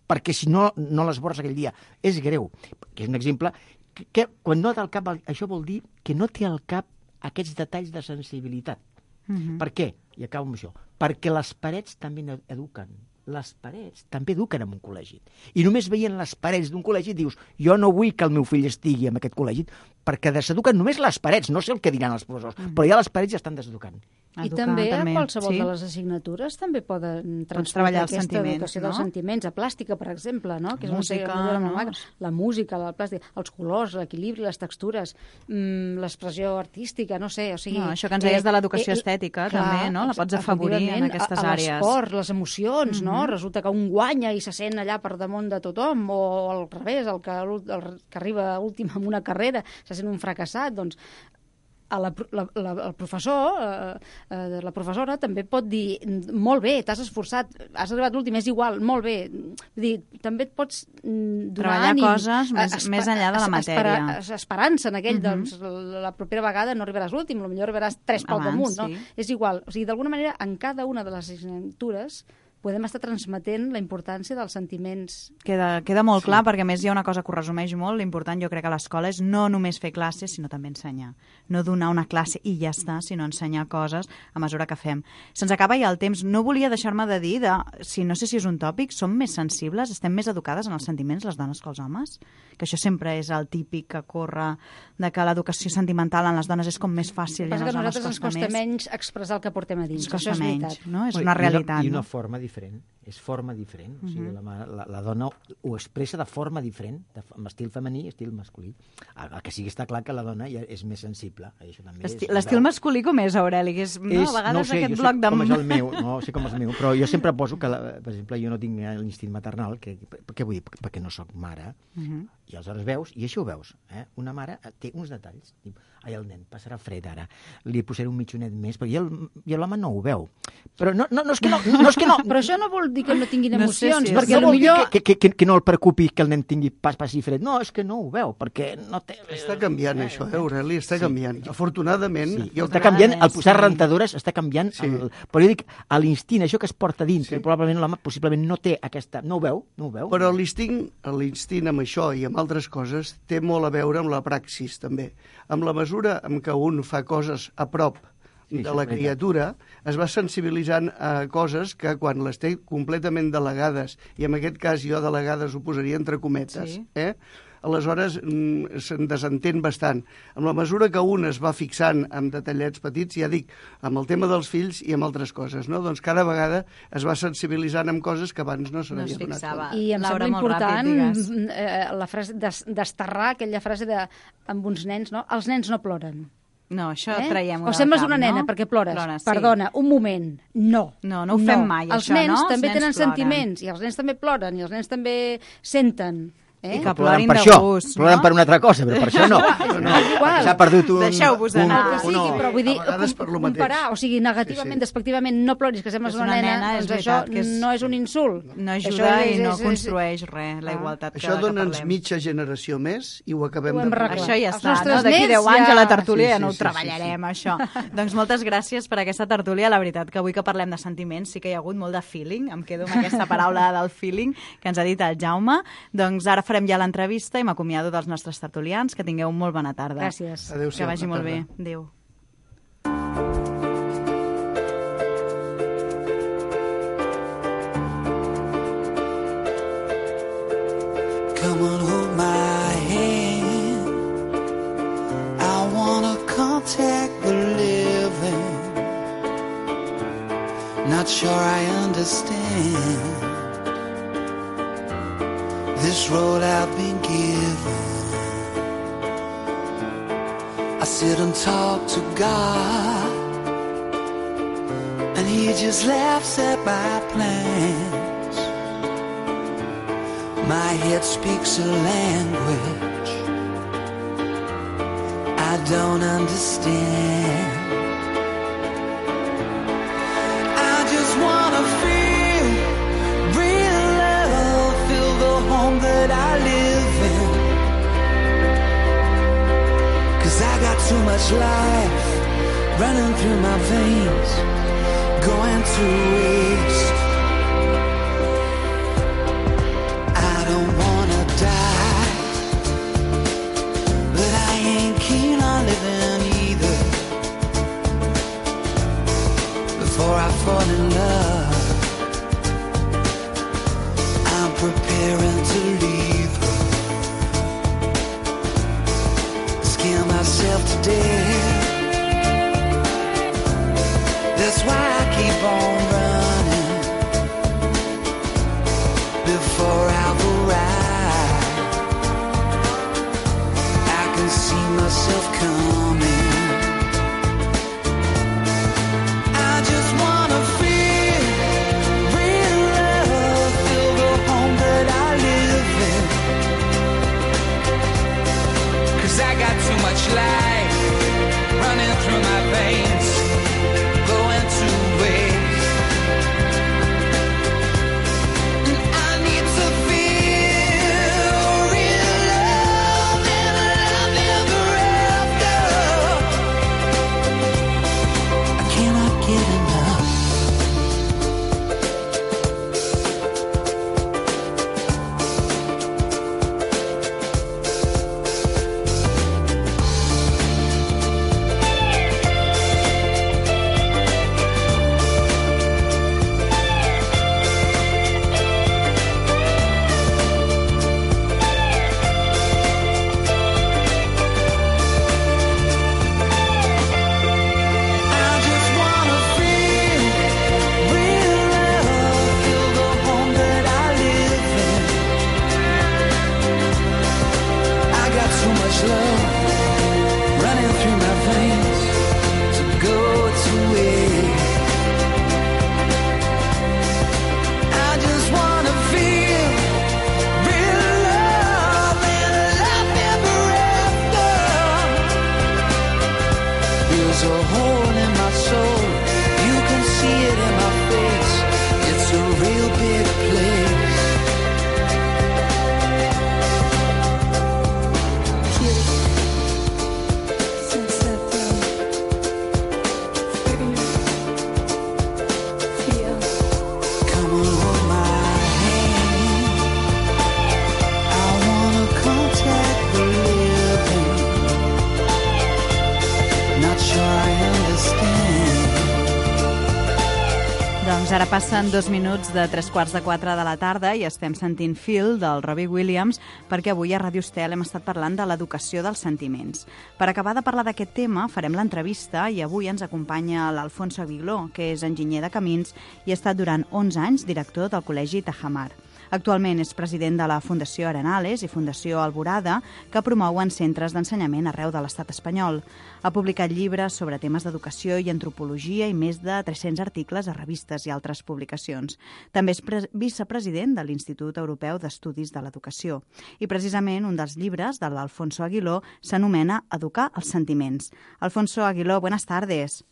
perquè si no, no l'esborres aquell dia, és greu, que és un exemple, que, que quan no té al cap, això vol dir que no té al cap aquests detalls de sensibilitat. Uh-huh. Per què? I acabo amb això. Perquè les parets també eduquen. Les parets també eduquen en un col·legi. I només veient les parets d'un col·legi dius, jo no vull que el meu fill estigui en aquest col·legi, perquè deseduquen només les parets, no sé el que diran els professors, uh-huh. però ja les parets ja estan deseducant. I Educar, també, també a qualsevol sí. de les assignatures també poden transmetre aquesta educació no? dels sentiments. A plàstica, per exemple, no? que és música, una no? la música, la plàstica, els colors, l'equilibri, les textures, mmm, l'expressió artística, no sé. O sigui, no, això que ens deies de l'educació eh, estètica, clar, també, no? La pots afavorir en aquestes a, a àrees. L'esport, les emocions, mm-hmm. no? Resulta que un guanya i se sent allà per damunt de tothom, o al revés, el que, el que arriba últim en una carrera se sent un fracassat, doncs a la, la, la, el professor, eh, eh, la professora també pot dir molt bé, t'has esforçat, has arribat l'últim, és igual, molt bé. Vull dir, també et pots donar treballar ànim, coses més, esper, més enllà de la matèria. Espera, esperança en aquell, uh-huh. doncs la propera vegada no arribaràs l'últim, potser arribaràs tres pel damunt, no? Sí. És igual. O sigui, d'alguna manera, en cada una de les assignatures podem estar transmetent la importància dels sentiments. Queda, queda molt sí. clar, perquè a més hi ha una cosa que ho resumeix molt. L'important, jo crec, a l'escola és no només fer classes, sinó també ensenyar. No donar una classe i ja està, sinó ensenyar coses a mesura que fem. Se'ns acaba ja el temps. No volia deixar-me de dir, de, si no sé si és un tòpic, som més sensibles, estem més educades en els sentiments les dones que els homes? Que això sempre és el típic que corre de que l'educació sentimental en les dones és com més fàcil i en els homes costa més. Que a nosaltres ens costa menys expressar el que portem a dins. Ens costa això és menys, veritat. no? És una realitat. I una no? forma diferent. És forma diferent. Uh-huh. O sigui, la, la, la dona ho expressa de forma diferent, de, amb estil femení i estil masculí. El, el que sí que està clar que la dona ja és més sensible. Això també és, l'estil masculí com és, Aureli? Que és, no, és, a vegades no sé, aquest jo bloc sé de... com és el meu, no sé com és el meu, però jo sempre poso que, la, per exemple, jo no tinc l'instint maternal, que, què vull dir? Perquè no sóc mare, uh-huh. i aleshores veus, i això ho veus, eh? Una mare té uns detalls, diu, ai, el nen passarà fred ara, li posaré un mitjonet més, perquè i l'home no ho veu. Però no, no, no és que no, no, és que no. Però això no vol dir que no tinguin emocions, no sé si perquè no vol millor... dir que, que, que, que no el preocupi que el nen tingui pas, passi fred. No, és que no ho veu, perquè no té... Està canviant eh, això, eh, Aureli, està sí. canviant. Afortunadament... Sí. Jo... Està canviant, el posar sí. rentadores està canviant, sí. el, però jo dic, l'instint, això que es porta dins, sí. que probablement l'home possiblement no té aquesta... No ho veu, no ho veu. Però l'instint, l'instint amb això i amb altres coses té molt a veure amb la praxis, també. Amb la mesura en què un fa coses a prop de la criatura, es va sensibilitzant a coses que quan les té completament delegades, i en aquest cas jo delegades ho posaria entre cometes, sí. eh? aleshores mm, se'n desentén bastant. Amb la mesura que un es va fixant amb detallets petits, ja dic, amb el tema dels fills i amb altres coses, no? Doncs cada vegada es va sensibilitzant amb coses que abans no se n'havia no donat compte. I em Laura, sembla important ràpid, eh, la frase desterrar aquella frase de amb uns nens, no? Els nens no ploren. No, això eh? traiem-ho O sembles cap, una nena no? perquè plores. Plora, sí. Perdona, un moment. No. No, no ho fem mai, els això, nens no? També Els nens tenen ploren. sentiments, i els nens també ploren, i els nens també senten. Eh? I que ploren plorin per de això, gust, ploren no? per una altra cosa, però per això no. no, no. S'ha perdut un... Deixeu-vos anar. El que sigui, un, però vull dir, a vegades per lo mateix. comparar, o sigui, negativament, Sí, sí. despectivament, no ploris, que sembles És una, una nena, nena, és doncs això veritat que és- no és un insult. No ajuda Això és- i no és- és- construeix res, la Ah. igualtat que, Això que dona'ns parlem. mitja generació més i ho acabem Ho hem de arreglat. Això ja Els està, nostres no? D'aquí nets deu anys ja- a la tertúlia Sí, ja sí, no ho sí, sí, treballarem, sí. això. Doncs moltes gràcies per aquesta tertúlia. La veritat que avui que parlem de sentiments sí que hi ha hagut molt de feeling. Em quedo amb aquesta paraula del feeling que ens ha dit el Jaume. Doncs ara farem farem ja l'entrevista i m'acomiado dels nostres tertulians. Que tingueu molt bona tarda. Gràcies. Adéu-siau. Que vagi molt bé. Tarda. Adéu. Come on, hold my hand. I wanna contact the living. Not sure I understand this road I've been given. I sit and talk to God, and He just laughs at my plans. My head speaks a language I don't understand. I just wanna feel real love, feel the home that I live in. 'Cause I got too much life running through my veins, going to waste. Before I fall in love, I'm preparing to leave her. Scare myself to death. That's why I keep on running before I've arrived. I can see myself coming. Life running through my veins, going to waste. And I need to feel real love and a love ever after. I cannot get enough. Ara passen dos minuts de tres quarts de quatre de la tarda i estem sentint Feel del Robbie Williams perquè avui a Ràdio Estel hem estat parlant de l'educació dels sentiments. Per acabar de parlar d'aquest tema farem l'entrevista i avui ens acompanya l'Alfonso Aguiló, que és enginyer de camins i ha estat durant onze anys director del Col·legi Tajamar. Actualment és president de la Fundació Arenales i Fundació Alborada, que promouen centres d'ensenyament arreu de l'estat espanyol. Ha publicat llibres sobre temes d'educació i antropologia i més de tres-cents articles a revistes i altres publicacions. També és vicepresident de l'Institut Europeu d'Estudis de l'Educació. I precisament un dels llibres de l'Alfonso Aguiló s'anomena Educar els sentiments. Alfonso Aguiló, buenas tardes.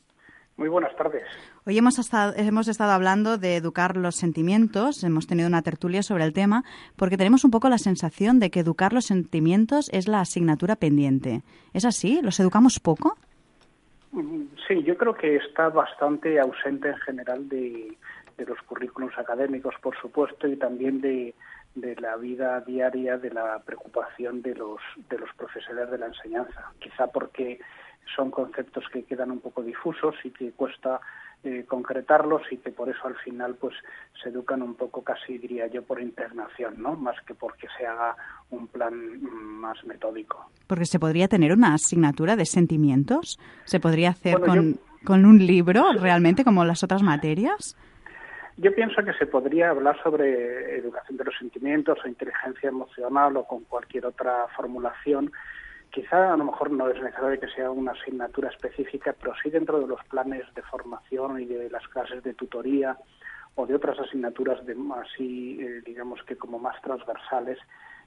Muy buenas tardes. Hoy hemos estado, hemos estado hablando de educar los sentimientos, hemos tenido una tertulia sobre el tema, porque tenemos un poco la sensación de que educar los sentimientos es la asignatura pendiente. ¿Es así? ¿Los educamos poco? Sí, yo creo que está bastante ausente en general de, de los currículos académicos, por supuesto, y también de, de la vida diaria, de la preocupación de los, de los profesores de la enseñanza. Quizá porque son conceptos que quedan un poco difusos y que cuesta eh, concretarlos y que por eso al final pues se educan un poco, casi diría yo, por impregnación, ¿no? Más que porque se haga un plan más metódico. Porque se podría tener una asignatura de sentimientos, se podría hacer bueno, con, yo... con un libro realmente como las otras materias. Yo pienso que se podría hablar sobre educación de los sentimientos o inteligencia emocional o con cualquier otra formulación. Quizá a lo mejor no es necesario que sea una asignatura específica, pero sí dentro de los planes de formación y de las clases de tutoría o de otras asignaturas de así, eh, digamos que como más transversales,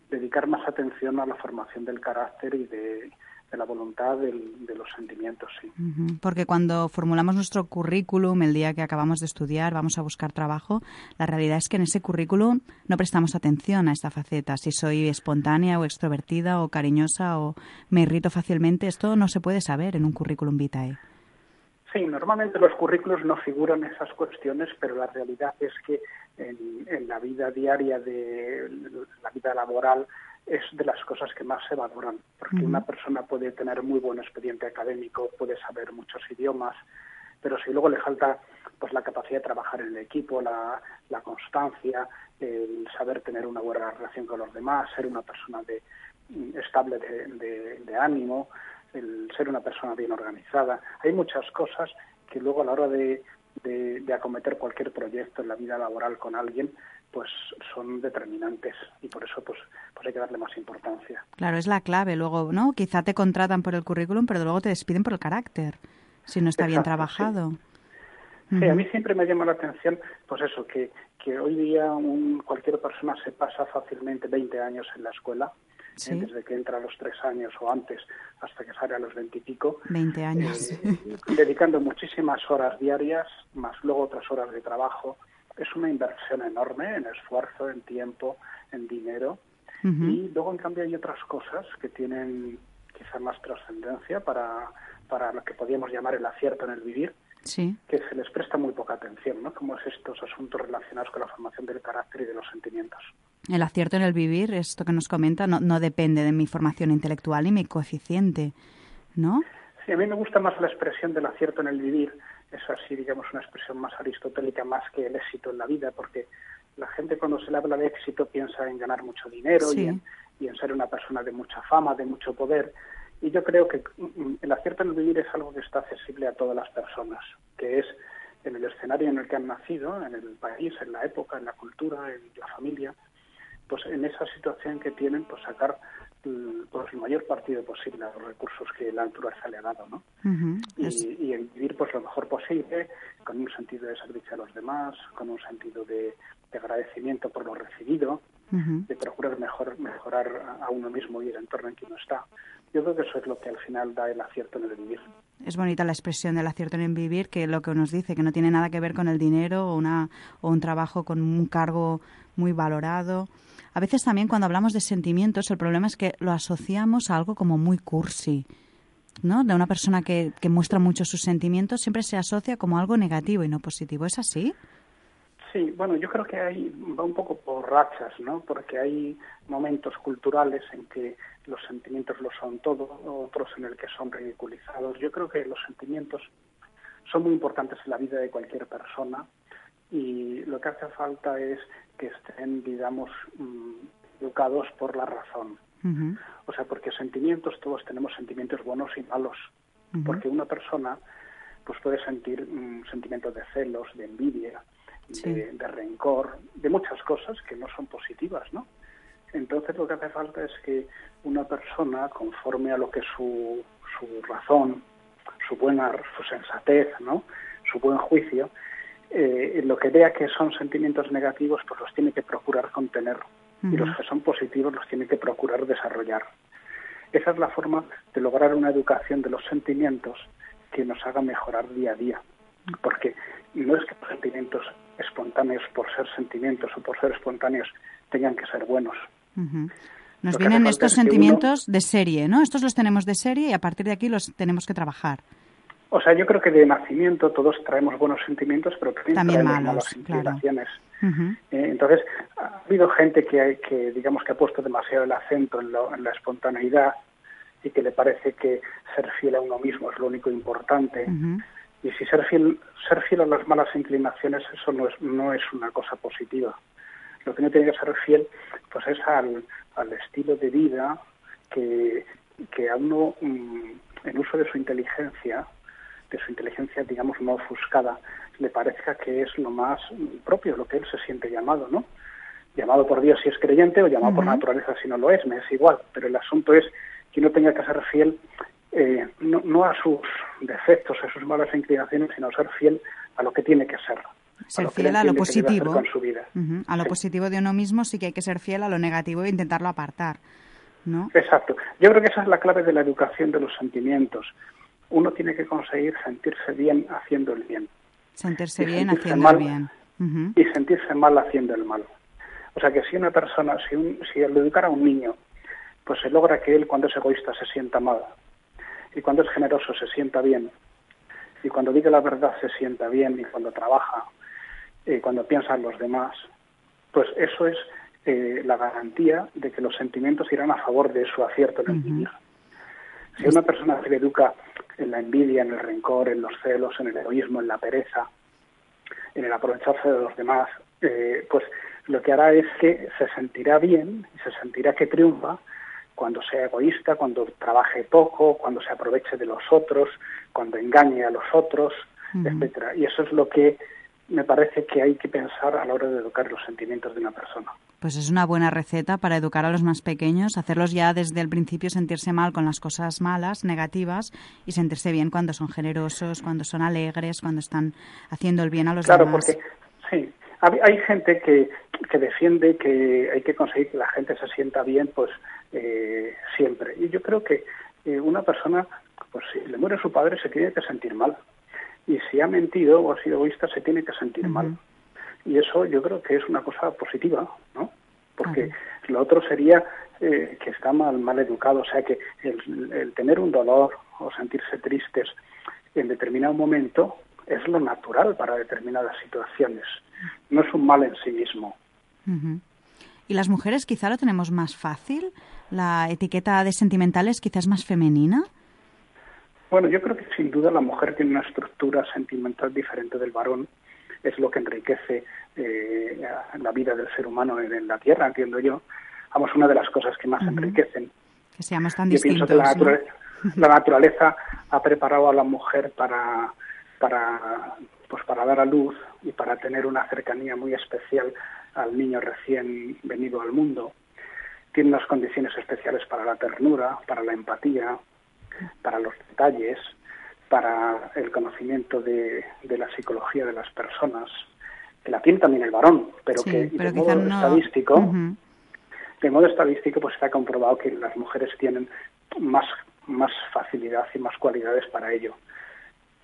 dedicar más atención a la formación del carácter y de, de la voluntad del, de los sentimientos, sí. Uh-huh. Porque cuando formulamos nuestro currículum el día que acabamos de estudiar, vamos a buscar trabajo, la realidad es que en ese currículum no prestamos atención a esta faceta. Si soy espontánea o extrovertida o cariñosa o me irrito fácilmente, esto no se puede saber en un currículum vitae. Sí, normalmente los currículos no figuran esas cuestiones, pero la realidad es que en, en la vida diaria de la vida laboral es de las cosas que más se valoran, porque uh-huh. una persona puede tener muy buen expediente académico, puede saber muchos idiomas, pero si luego le falta pues la capacidad de trabajar en el equipo, la, la constancia, el saber tener una buena relación con los demás, ser una persona de, estable de, de, de ánimo, el ser una persona bien organizada. Hay muchas cosas que luego a la hora de, de, de acometer cualquier proyecto en la vida laboral con alguien, pues son determinantes y por eso pues, pues hay que darle más importancia. Claro, es la clave. Luego, ¿no? Quizá te contratan por el currículum, pero luego te despiden por el carácter, si no está Exacto, bien trabajado. Sí. Uh-huh. Sí, a mí siempre me llama la atención, pues eso, que, que hoy día un, cualquier persona se pasa fácilmente veinte años en la escuela, ¿sí? eh, desde que entra a los tres años o antes hasta que sale a los veintipico. veinte años. Eh, dedicando muchísimas horas diarias, más luego otras horas de trabajo. Es una inversión enorme en esfuerzo, en tiempo, en dinero. Uh-huh. Y luego, en cambio, hay otras cosas que tienen quizá más trascendencia para, para lo que podríamos llamar el acierto en el vivir, sí. que se les presta muy poca atención, ¿no? Como es estos asuntos relacionados con la formación del carácter y de los sentimientos. El acierto en el vivir, esto que nos comenta, no, no depende de mi formación intelectual y mi coeficiente, ¿no? Sí, a mí me gusta más la expresión del acierto en el vivir. Es así, digamos, una expresión más aristotélica, más que el éxito en la vida, porque la gente cuando se le habla de éxito piensa en ganar mucho dinero sí. y, en, y en ser una persona de mucha fama, de mucho poder. Y yo creo que el acierto en el vivir es algo que está accesible a todas las personas, que es en el escenario en el que han nacido, en el país, en la época, en la cultura, en la familia, pues en esa situación que tienen, pues sacar pues el mayor partido posible a los recursos que la naturaleza le ha dado, ¿no? Uh-huh. Y, y el vivir pues lo mejor posible, con un sentido de servicio a los demás, con un sentido de, de agradecimiento por lo recibido, uh-huh. de procurar mejor, mejorar a uno mismo y el entorno en que uno está. Yo creo que eso es lo que al final da el acierto en el vivir. Es bonita la expresión del acierto en el vivir, que lo que nos dice, que no tiene nada que ver con el dinero o, una, o un trabajo con un cargo muy valorado. A veces también cuando hablamos de sentimientos, el problema es que lo asociamos a algo como muy cursi, ¿no? De una persona que, que muestra mucho sus sentimientos siempre se asocia como algo negativo y no positivo. ¿Es así? Sí, bueno, yo creo que hay, va un poco por rachas, ¿no? Porque hay momentos culturales en que los sentimientos lo son todo, otros en el que son ridiculizados. Yo creo que los sentimientos son muy importantes en la vida de cualquier persona y lo que hace falta es que estén, digamos, educados por la razón. Uh-huh. O sea, porque sentimientos, todos tenemos sentimientos buenos y malos. Uh-huh. Porque una persona pues puede sentir um, sentimientos de celos, de envidia, sí. de, de rencor, de muchas cosas que no son positivas, ¿no? Entonces lo que hace falta es que una persona, conforme a lo que su, su razón, su buena, su sensatez, ¿no? Su buen juicio, eh, lo que vea que son sentimientos negativos, pues los tiene que procurar contener. Uh-huh. Y los que son positivos los tiene que procurar desarrollar. Esa es la forma de lograr una educación de los sentimientos que nos haga mejorar día a día. Porque no es que los sentimientos espontáneos, por ser sentimientos o por ser espontáneos, tengan que ser buenos. Uh-huh. Nos vienen estos sentimientos uno... de serie, ¿no? Estos los tenemos de serie y a partir de aquí los tenemos que trabajar. O sea, yo creo que de nacimiento todos traemos buenos sentimientos, pero también, también traemos malos, malas inclinaciones. Claro. Uh-huh. Eh, entonces, ha habido gente que, que, digamos, que ha puesto demasiado el acento en, lo, en la espontaneidad y que le parece que ser fiel a uno mismo es lo único importante. Uh-huh. Y si ser fiel, ser fiel a las malas inclinaciones, eso no es, no es una cosa positiva. Lo que uno tiene que ser fiel, pues es al, al estilo de vida que, que a uno, mmm, en uso de su inteligencia, de su inteligencia, digamos, no ofuscada, le parezca que es lo más propio, lo que él se siente llamado, ¿no? Llamado por Dios si es creyente o llamado uh-huh. por naturaleza si no lo es, me es igual. Pero el asunto es que uno tenga que ser fiel eh, no, no a sus defectos, a sus malas inclinaciones, sino ser fiel a lo que tiene que ser. Ser fiel a lo positivo. Con su vida. Uh-huh. A lo sí. positivo de uno mismo sí que hay que ser fiel, a lo negativo e intentarlo apartar, ¿no? Exacto. Yo creo que esa es la clave de la educación de los sentimientos. Uno tiene que conseguir sentirse bien haciendo el bien. Sentirse bien haciendo mal, el bien. Uh-huh. Y sentirse mal haciendo el mal. O sea que si una persona, si, un, si al educar a un niño, pues se logra que él cuando es egoísta se sienta mal, y cuando es generoso se sienta bien, y cuando diga la verdad se sienta bien, y cuando trabaja, y cuando piensa en los demás, pues eso es eh, la garantía de que los sentimientos irán a favor de su acierto en el vivir. Uh-huh. Si una persona se le educa en la envidia, en el rencor, en los celos, en el egoísmo, en la pereza, en el aprovecharse de los demás, eh, pues lo que hará es que se sentirá bien y se sentirá que triunfa cuando sea egoísta, cuando trabaje poco, cuando se aproveche de los otros, cuando engañe a los otros, uh-huh. etcétera. Y eso es lo que me parece que hay que pensar a la hora de educar los sentimientos de una persona. Pues es una buena receta para educar a los más pequeños, hacerlos ya desde el principio sentirse mal con las cosas malas, negativas, y sentirse bien cuando son generosos, cuando son alegres, cuando están haciendo el bien a los claro, demás. Claro, porque sí, hay gente que, que defiende que hay que conseguir que la gente se sienta bien, pues eh, siempre. Y yo creo que eh, una persona, pues si le muere su padre, se tiene que sentir mal. Y si ha mentido o ha sido egoísta, se tiene que sentir uh-huh. mal. Y eso yo creo que es una cosa positiva, ¿no? Porque uh-huh. lo otro sería eh, que está mal, mal educado. O sea, que el, el tener un dolor o sentirse tristes en determinado momento es lo natural para determinadas situaciones. No es un mal en sí mismo. Uh-huh. ¿Y las mujeres quizá lo tenemos más fácil? ¿La etiqueta de sentimental es quizás más femenina? Bueno, yo creo que sin duda la mujer tiene una estructura sentimental diferente del varón. Es lo que enriquece eh, la vida del ser humano en, en la Tierra, entiendo yo. Vamos, una de las cosas que más uh-huh. enriquecen. Que seamos tan yo distintos, pienso que la, natura- ¿no? la naturaleza ha preparado a la mujer para, para, pues para dar a luz y para tener una cercanía muy especial al niño recién venido al mundo. Tiene unas condiciones especiales para la ternura, para la empatía, para los detalles, para el conocimiento de, de la psicología de las personas, que la tiene también el varón, pero sí, que pero de modo no... estadístico, uh-huh. de modo estadístico, pues está comprobado que las mujeres tienen más, más facilidad y más cualidades para ello.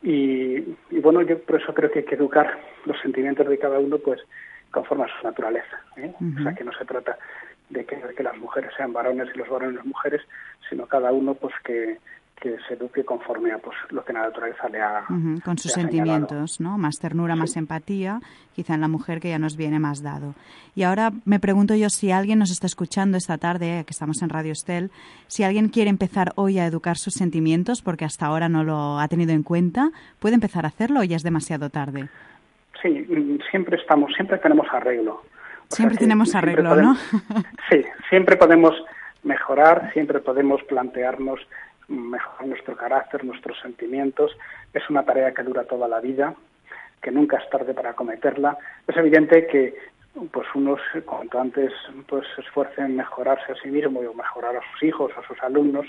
Y, y bueno, yo por eso creo que hay que educar los sentimientos de cada uno, pues conforme a su naturaleza, ¿eh? Uh-huh. O sea, que no se trata de que, de que las mujeres sean varones y los varones mujeres, sino cada uno, pues que que se eduque conforme a pues lo que la naturaleza le ha uh-huh, con sus sentimientos, ¿no? Más ternura, sí. más empatía, quizá en la mujer que ya nos viene más dado. Y ahora me pregunto yo si alguien nos está escuchando esta tarde, que estamos en Radio Estel, si alguien quiere empezar hoy a educar sus sentimientos, porque hasta ahora no lo ha tenido en cuenta, ¿puede empezar a hacerlo o ya es demasiado tarde? Sí, siempre estamos, siempre tenemos arreglo. O siempre tenemos arreglo, siempre podemos, ¿no? Sí, siempre podemos mejorar, siempre podemos plantearnos mejorar nuestro carácter, nuestros sentimientos. Es una tarea que dura toda la vida, que nunca es tarde para acometerla. Es evidente que pues unos cuanto antes pues se esfuercen en mejorarse a sí mismo o mejorar a sus hijos, a sus alumnos,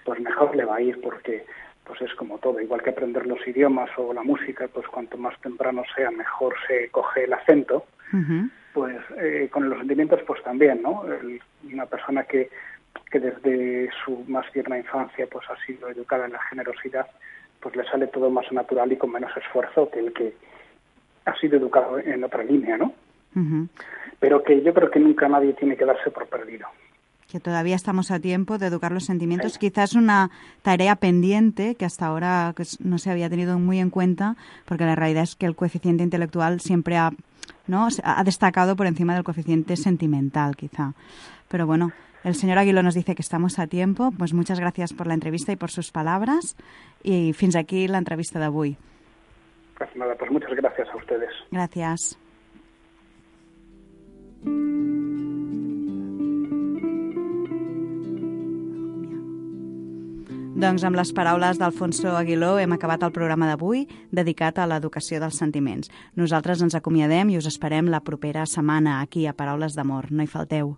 pues mejor le va a ir, porque pues es como todo, igual que aprender los idiomas o la música, pues cuanto más temprano sea, mejor se coge el acento. Uh-huh. Pues eh, con los sentimientos pues también, ¿no? El, una persona que que desde su más tierna infancia pues ha sido educada en la generosidad, pues le sale todo más natural y con menos esfuerzo que el que ha sido educado en otra línea, ¿no? Uh-huh. Pero que yo creo que nunca nadie tiene que darse por perdido. que todavía estamos a tiempo de educar los sentimientos. Sí. Quizás una tarea pendiente que hasta ahora pues, no se había tenido muy en cuenta, porque la realidad es que el coeficiente intelectual siempre ha, ¿no? ha destacado por encima del coeficiente sentimental, quizá. Pero bueno, el señor Aguiló nos dice que estamos a tiempo. Pues muchas gracias por la entrevista y por sus palabras. Y fins aquí la entrevista d'avui. Pues nada, pues muchas gracias a ustedes. Gracias. Doncs amb les paraules d'Alfonso Aguiló hem acabat el programa d'avui dedicat a l'educació dels sentiments. Nosaltres ens acomiadem i us esperem la propera setmana aquí a Paraules d'Amor. No hi falteu.